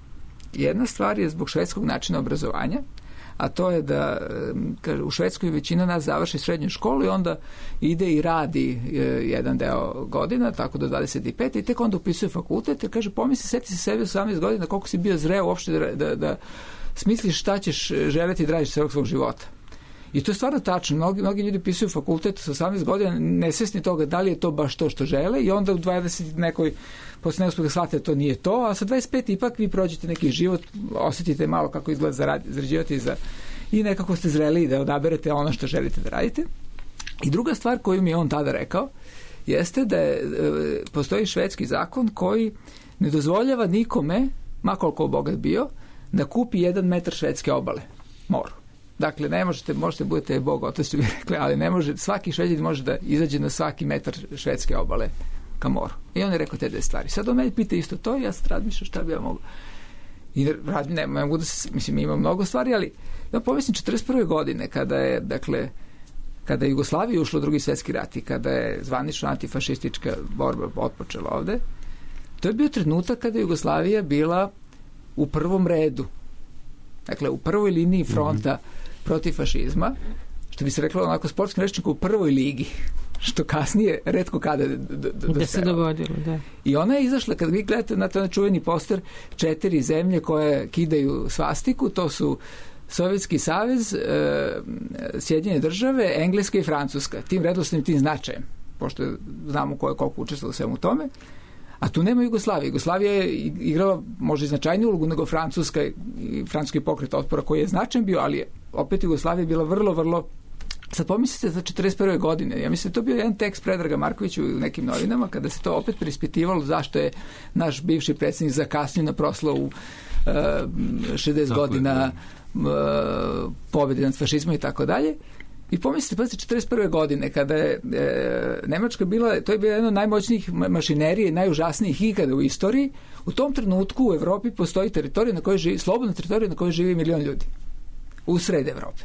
Jedna stvar je zbog švedskog načina obrazovanja, a to je da kaže, u Švedskoj većina nas završi srednju školu i onda ide i radi e, jedan deo godina, tako do dvadeset pet i tek onda upisuje fakultet i kaže, pomisli, seti se sebe osamnaest godina, koliko si bio zreo uopšte da, da, da smisliš šta ćeš želeti da radiš celog svog života. I to je stvarno tačno. Mnogi, mnogi ljudi upisuju fakultet sa osamnaest godina nesvesni toga da li je to baš to što žele i onda u dvadeset nekoj posle neuspjeha shvatite da to nije to, a sa dvadeset pet ipak vi prođete neki život, osjetite malo kako izgleda zarad, zarađivati za, i nekako ste zreli da odaberete ono što želite da radite. I druga stvar koju mi je on tada rekao jeste da je, e, postoji švedski zakon koji ne dozvoljava nikome, ma koliko bogat bio, da kupi jedan metar švedske obale, moru. Dakle, ne možete, možete budete Bog, to ste bi rekli, ali ne može, svaki Šveđanin može da izađe na svaki metar švedske obale ka moru. I on je rekao te dve stvari. Sad on meni pita isto to i ja sad razmišljam šta bi ja mogu. I rad, ne, mogu da se, mislim, ima mnogo stvari, ali ja pomislim četrdeset prve godine kada je, dakle, kada je Jugoslavija ušla u drugi svjetski rat i kada je zvanično antifašistička borba otpočela ovde, to je bio trenutak kada je Jugoslavija bila u prvom redu. Dakle, u prvoj liniji fronta mm-hmm. protiv fašizma, što bi se reklo onako sportskim rečnikom, u prvoj ligi, što kasnije retko kada d- d- d- da se dogodilo, da. I ona je izašla, kad vi gledate na taj čuveni poster, četiri zemlje koje kidaju svastiku, to su Sovjetski savez, e, Sjedinjene države, Engleska i Francuska. Tim redosnim, tim značajem, pošto znamo ko je koliko učestvovalo u svemu tome. A tu nema Jugoslavije. Jugoslavija je igrala možda i značajniju ulogu nego Francuska i francuski pokret otpora koji je značajan bio, ali je, opet Jugoslavija je bila vrlo, vrlo. Sad pomislite za četrdeset prve godine. Ja mislim da to bio jedan tekst Predraga Markovića u nekim novinama kada se to opet preispitivalo zašto je naš bivši predsjednik zakasnio na proslavu uh, šezdeset tako godina uh, pobjede nad fašizmom i tako dalje. I pomislite, pa četrdeset prve godine, kada je e, Nemačka bila, to je bila jedna od najmoćnijih mašinerije, najužasnijih ikada u istoriji, u tom trenutku u Evropi postoji teritorija na kojoj živi, slobodna teritorija na kojoj živi milion ljudi. U sred Evrope.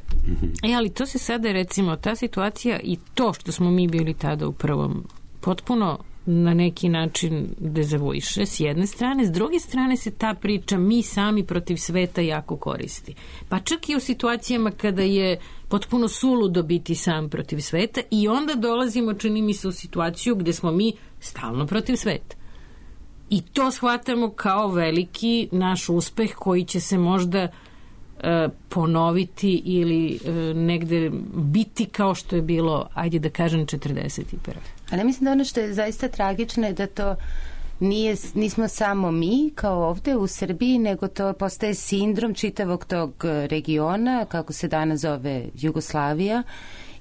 E, ali to se sada, recimo, ta situacija i to što smo mi bili tada u prvom, potpuno na neki način dezavuiše s jedne strane, s druge strane se ta priča mi sami protiv sveta jako koristi. Pa čak i u situacijama kada je potpuno suludo biti sam protiv sveta i onda dolazimo, čini mi se, u situaciju gde smo mi stalno protiv sveta. I to shvatamo kao veliki naš uspeh koji će se možda e, ponoviti ili e, negde biti kao što je bilo, ajde da kažem, četrdeset prve. Ali mislim da ono što je zaista tragično je da to nije, nismo samo mi kao ovde u Srbiji, nego to postaje sindrom čitavog tog regiona, kako se danas zove Jugoslavija.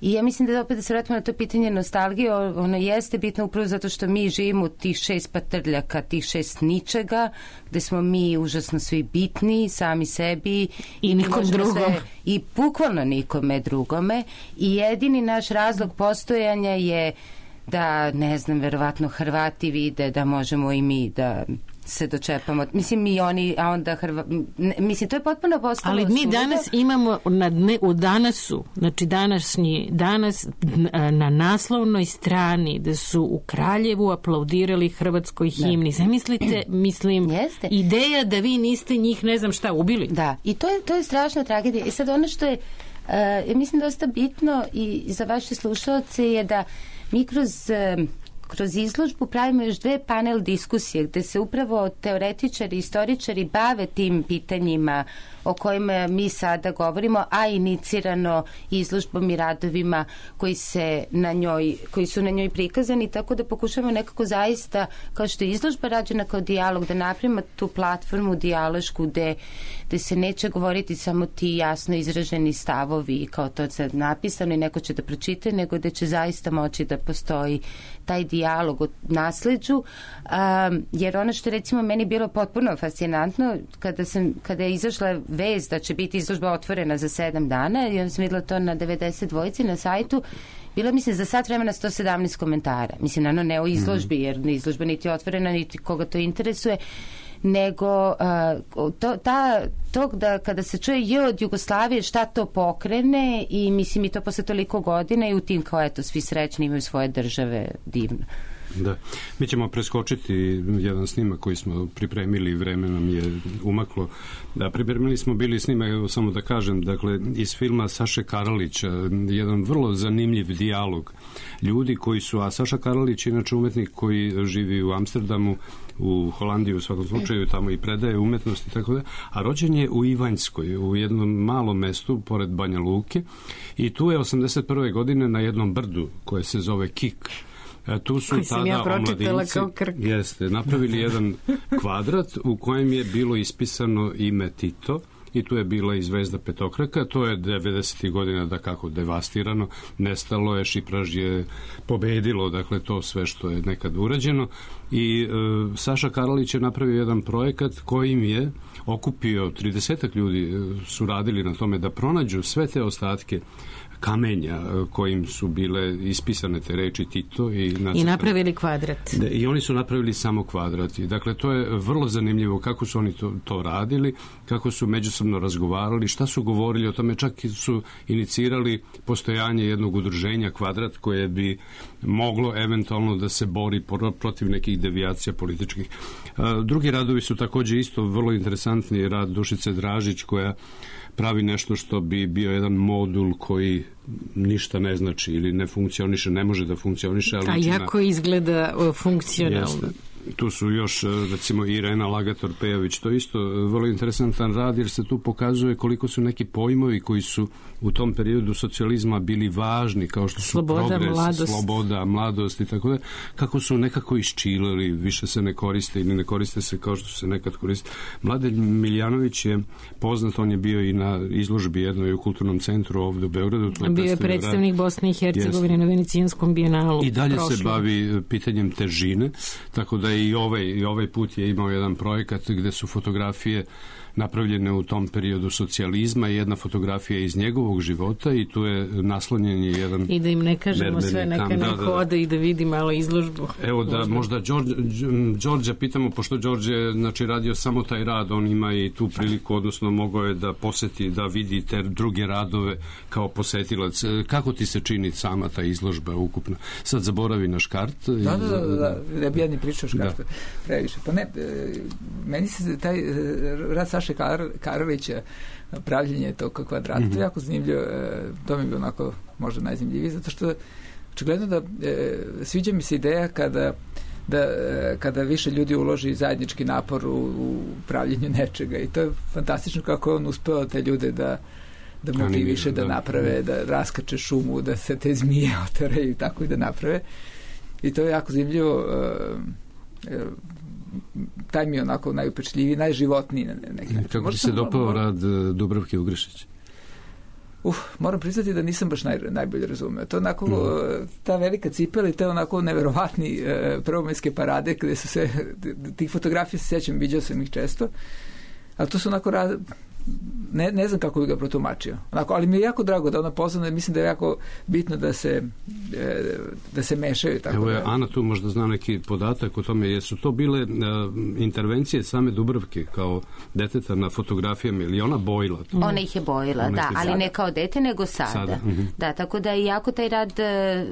I ja mislim da opet da se vratimo na to pitanje nostalgije, ono jeste bitno upravo zato što mi živimo u tih šest patrljaka, tih šest ničega, gde smo mi užasno svi bitni, sami sebi i nikom drugom. Se, i bukvalno nikome drugome. I jedini naš razlog postojanja je da, ne znam, verovatno Hrvati vide da možemo i mi da se dočepamo. Mislim, i oni, a onda Hrva... Mislim, to je potpuno postalo... Ali mi danas imamo na dne, u danasu, znači današnji, danas na naslovnoj strani da su u Kraljevu aplaudirali hrvatskoj himni. Zamislite, mislim, Jeste. ideja da vi niste njih, ne znam šta, ubili. Da, i to je, to je strašna tragedija. I sad ono što je, uh, ja mislim, dosta bitno i za vaše slušalce je da mi kroz... Uh, kroz izložbu pravimo još dve panel diskusije gde se upravo teoretičari i istoričari bave tim pitanjima o kojima mi sada govorimo, a inicirano izložbom i radovima koji, se na njoj, koji su na njoj prikazani, tako da pokušamo nekako zaista, kao što je izložba rađena kao dijalog, da napravimo tu platformu dijalošku gde, gde se neće govoriti samo ti jasno izraženi stavovi kao to sad napisano i neko će da pročita, nego da će zaista moći da postoji taj dijalog o nasleđu, um, jer ono što recimo meni bilo potpuno fascinantno kada, sam, kada je izašla vest da će biti izložba otvorena za sedam dana i onda sam videla to na devedeset dvojici na sajtu, bilo mi se za sat vremena sto sedamnaest komentara. Mislim, naravno ne o izložbi, jer izložba niti je otvorena, niti koga to interesuje, nego uh, to, ta, tog da kada se čuje je od Jugoslavije šta to pokrene i mislim i to posle toliko godina i u tim kao eto svi srećni imaju svoje države, divno. Da. Mi ćemo preskočiti jedan snimak koji smo pripremili, vreme nam je umaklo. Da, pripremili smo bili snimak, evo samo da kažem, dakle, iz filma Saše Karalića, jedan vrlo zanimljiv dijalog ljudi koji su, a Saša Karalić je inače umetnik koji živi u Amsterdamu, u Holandiji u svakom slučaju, tamo i predaje umetnost i tako da, a rođen je u Ivanjskoj, u jednom malom mestu pored Banja Luke i tu je osamdeset prve godine na jednom brdu koje se zove Kik. E, tu su tada ja omladinci jeste, napravili jedan kvadrat u kojem je bilo ispisano ime Tito i tu je bila i zvezda petokraka. To je devedesetih godina da kako devastirano, nestalo je, šipraž je pobedilo, dakle to sve što je nekad urađeno i e, Saša Karalić je napravio jedan projekat kojim je okupio tridesetak ljudi, su radili na tome da pronađu sve te ostatke kamenja kojim su bile ispisane te reči Tito i, i napravili kvadrat. I oni su napravili samo kvadrat. Dakle, to je vrlo zanimljivo kako su oni to, to radili, kako su međusobno razgovarali, šta su govorili o tome, čak su inicirali postojanje jednog udruženja Kvadrat koje bi moglo eventualno da se bori protiv nekih devijacija političkih. Drugi radovi su takođe isto vrlo interesantni, rad Dušice Dražić koja pravi nešto što bi bio jedan modul koji ništa ne znači ili ne funkcioniše, ne može da funkcioniše. Ali a jako na... izgleda funkcionalno. Jeste. Tu su još, recimo, Irena Lagator-Pejović, to je isto vrlo interesantan rad, jer se tu pokazuje koliko su neki pojmovi koji su u tom periodu socijalizma bili važni, kao što su sloboda, progres, mladost. sloboda, mladost i tako da, kako su nekako isčilili, više se ne koriste ili ne koriste se kao što se nekad koriste. Mladen Miljanović je poznat, on je bio i na izložbi jednoj u Kulturnom centru ovdje u Beogradu. Je bio je predstavnik rad. Bosne i Hercegovine na Venecijanskom bijenalu. I dalje prošlo. se bavi pitanjem težine, tako da i ovaj, i ovaj put je imao jedan projekat gde su fotografije napravljene u tom periodu socijalizma i jedna fotografija iz njegovog života i tu je naslonjen je jedan... I da im ne kažemo sve, neka kam, neko da, da, ode i da vidi malo izložbu. Evo da možda, možda Đorđe, Đorđa pitamo, pošto Đorđe je znači, radio samo taj rad, on ima i tu priliku, odnosno mogao je da poseti, da vidi te druge radove kao posetilac. Kako ti se čini sama ta izložba ukupna? Sad zaboravi na škart. Da, da, da, da, ne bi ja ni pričao škartu previše. Pa ne, meni se taj rad Saše Kar, Karovića, pravljenje tog kvadrata, mm-hmm. jako zanimljivo, to mi je onako možda najzanimljiviji, zato što očigledno da e, sviđa mi se ideja kada da kada više ljudi uloži zajednički napor u, u pravljenju nečega i to je fantastično kako on uspeo te ljude da da motiviše, da, da naprave, da raskače šumu, da se te zmije oteraju i tako i da naprave. I to je jako zanimljivo. E, e, taj mi je onako najupečljiviji, najživotniji na neki način. Kako ti se dopao rad Dubravke Ugrešić? Uf, moram priznati da nisam baš naj, najbolje razumeo. To onako, mm. ta velika cipela i te onako neverovatni e, prvomajske parade gde su se, tih fotografija se sjećam, viđao sam ih često, ali to su onako raz, ne, ne znam kako bi ga protumačio. Onako, ali mi je jako drago da ona pozvana, mislim da je jako bitno da se da se mešaju. Tako Evo je, da... Ana tu možda zna neki podatak o tome, jesu to bile uh, intervencije same Dubravke kao deteta na fotografijama ili ona bojila? To? Ona ih je bojila, ona da, ali sada. Ne kao dete, nego sada. sada. Uh-huh. Da, tako da je jako taj rad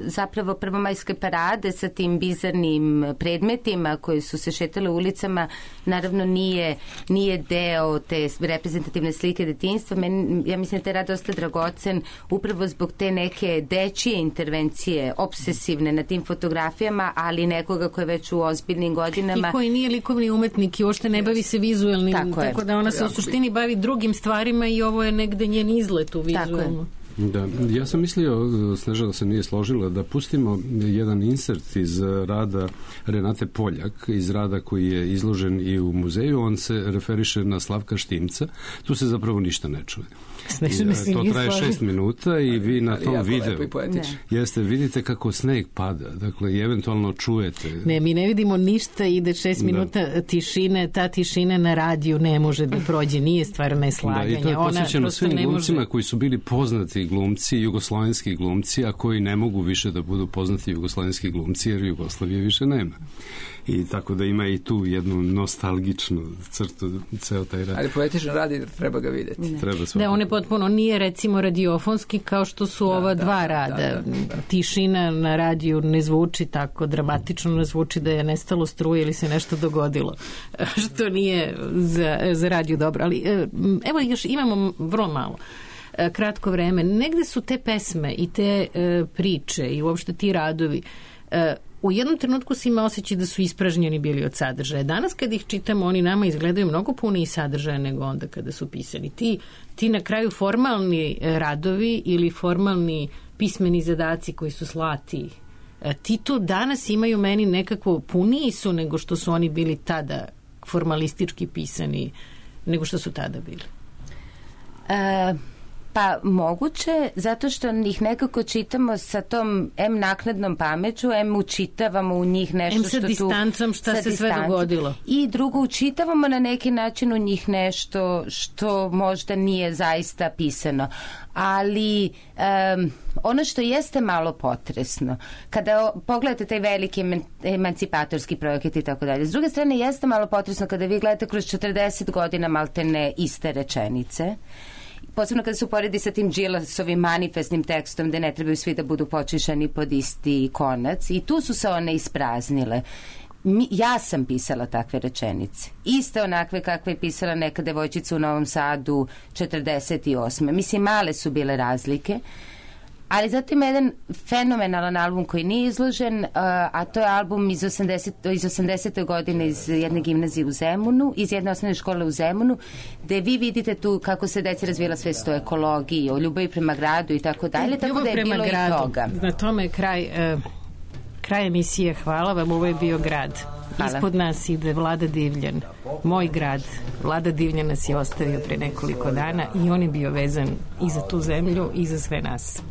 zapravo prvomajske parade sa tim bizarnim predmetima koji su se šetale ulicama, naravno nije, nije deo te reprezentativne slike detinjstva. Men, ja mislim da taj rad dosta dragocen upravo zbog te neke dečije intervencije, obsesivne na tim fotografijama, ali nekoga koji je već u ozbiljnim godinama. I koji nije likovni umetnik i uopšte ne bavi se vizuelnim, tako, tako da ona se u suštini bavi drugim stvarima i ovo je negde njen izlet u vizuelnu. Da, ja sam mislio, Snežana se nije složila, da pustimo jedan insert iz rada Renate Poljak, iz rada koji je izložen i u muzeju. On se referiše na Slavka Štimca. Tu se zapravo ništa ne čuje. I, to traje šest minuta i vi na tom videu jeste, vidite kako sneg pada, dakle i eventualno čujete. Ne, mi ne vidimo ništa, ide šest minuta da. tišine, ta tišina na radiju ne može da prođe, nije stvar neslaganja. Da, i to je posvećeno svim glumcima može... koji su bili poznati glumci, jugoslovenski glumci, a koji ne mogu više da budu poznati jugoslovenski glumci jer Jugoslavije više nema. I tako da ima i tu jednu nostalgičnu crtu ceo taj rad. Ali poetičan rad treba ga vidjeti. Treba da, on je potpuno, nije recimo radiofonski kao što su da, ova da, dva rada. Da, da, da. Tišina na radiju ne zvuči tako dramatično, ne zvuči da je nestalo struje ili se nešto dogodilo, što nije za, za radio dobro. Ali evo još imamo vrlo malo. Kratko vreme. Negde su te pesme i te e, priče i uopšte ti radovi e, u jednom trenutku se ima osjećaj da su ispražnjeni bili od sadržaja. Danas kad ih čitamo, oni nama izgledaju mnogo puniji sadržaja nego onda kada su pisani. Ti, ti na kraju formalni radovi ili formalni pismeni zadaci koji su slati, ti to danas imaju meni nekako puniji su nego što su oni bili tada formalistički pisani, nego što su tada bili. E... Pa moguće, zato što ih nekako čitamo sa tom em naknadnom pameću, em učitavamo u njih nešto što tu... Em sa distancom šta se sve dogodilo. I drugo, učitavamo na neki način u njih nešto što možda nije zaista pisano. Ali um, ono što jeste malo potresno, kada pogledate taj veliki emancipatorski projekat i tako dalje, s druge strane jeste malo potresno kada vi gledate kroz četrdeset godina maltene iste rečenice, posebno kada se uporedi sa tim Đilasovim manifestnim tekstom gde ne trebaju svi da budu počišani pod isti konac i tu su se one ispraznile. Mi, ja sam pisala takve rečenice. Iste onakve kakve je pisala neka devojčica u Novom Sadu četrdeset osme. Mislim, male su bile razlike. Ali zato ima jedan fenomenalan album koji nije izložen, a to je album iz osamdesete, iz osamdesete godine iz jedne gimnazije u Zemunu, iz jedne osnovne škole u Zemunu, gde vi vidite tu kako se deci razvijela svest o ekologiji, o ljubavi prema gradu i tako dalje, tako da je bilo gradu. I toga. Na tome je kraj, uh, kraj emisije. Hvala vam, ovo je bio Grad. Hvala. Ispod nas ide Vlada Divljan, moj grad. Vlada Divljan nas je ostavio pre nekoliko dana i on je bio vezan i za tu zemlju i za sve nas.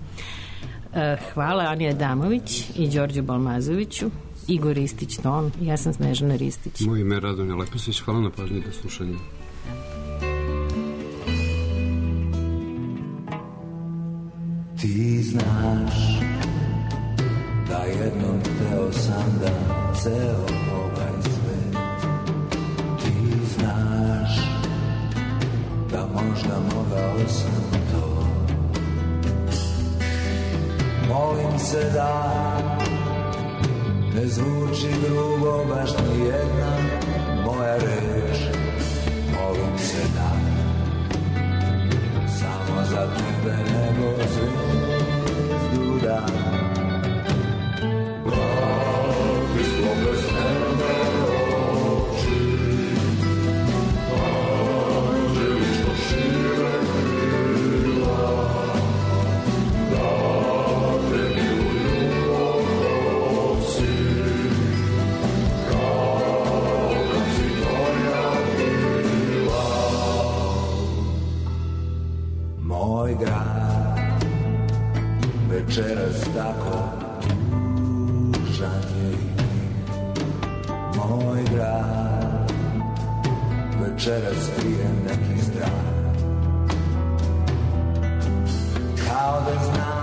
Hvala Anja Adamović i Đorđu Balmazoviću, Igor Ristić-Ton, ja sam Snežana Ristić. Moje ime je Radonja Lepesić, hvala na pažnji do slušanja. Ti znaš da jednom hteo sam da ceo ovaj svet. Ti znaš da možda mogao sam to. Molim se da ne zvuči grubo baš ni jedna moja reč. Molim se da samo za tebe nego zvezdu da. Vrati svoje sneme oči, anđeli što šire krila, da te miluju odnosi, kao kad si moja bila. Moj grad večeras tako tužan je i mir. Moj grad večeras krije neki strah. da znam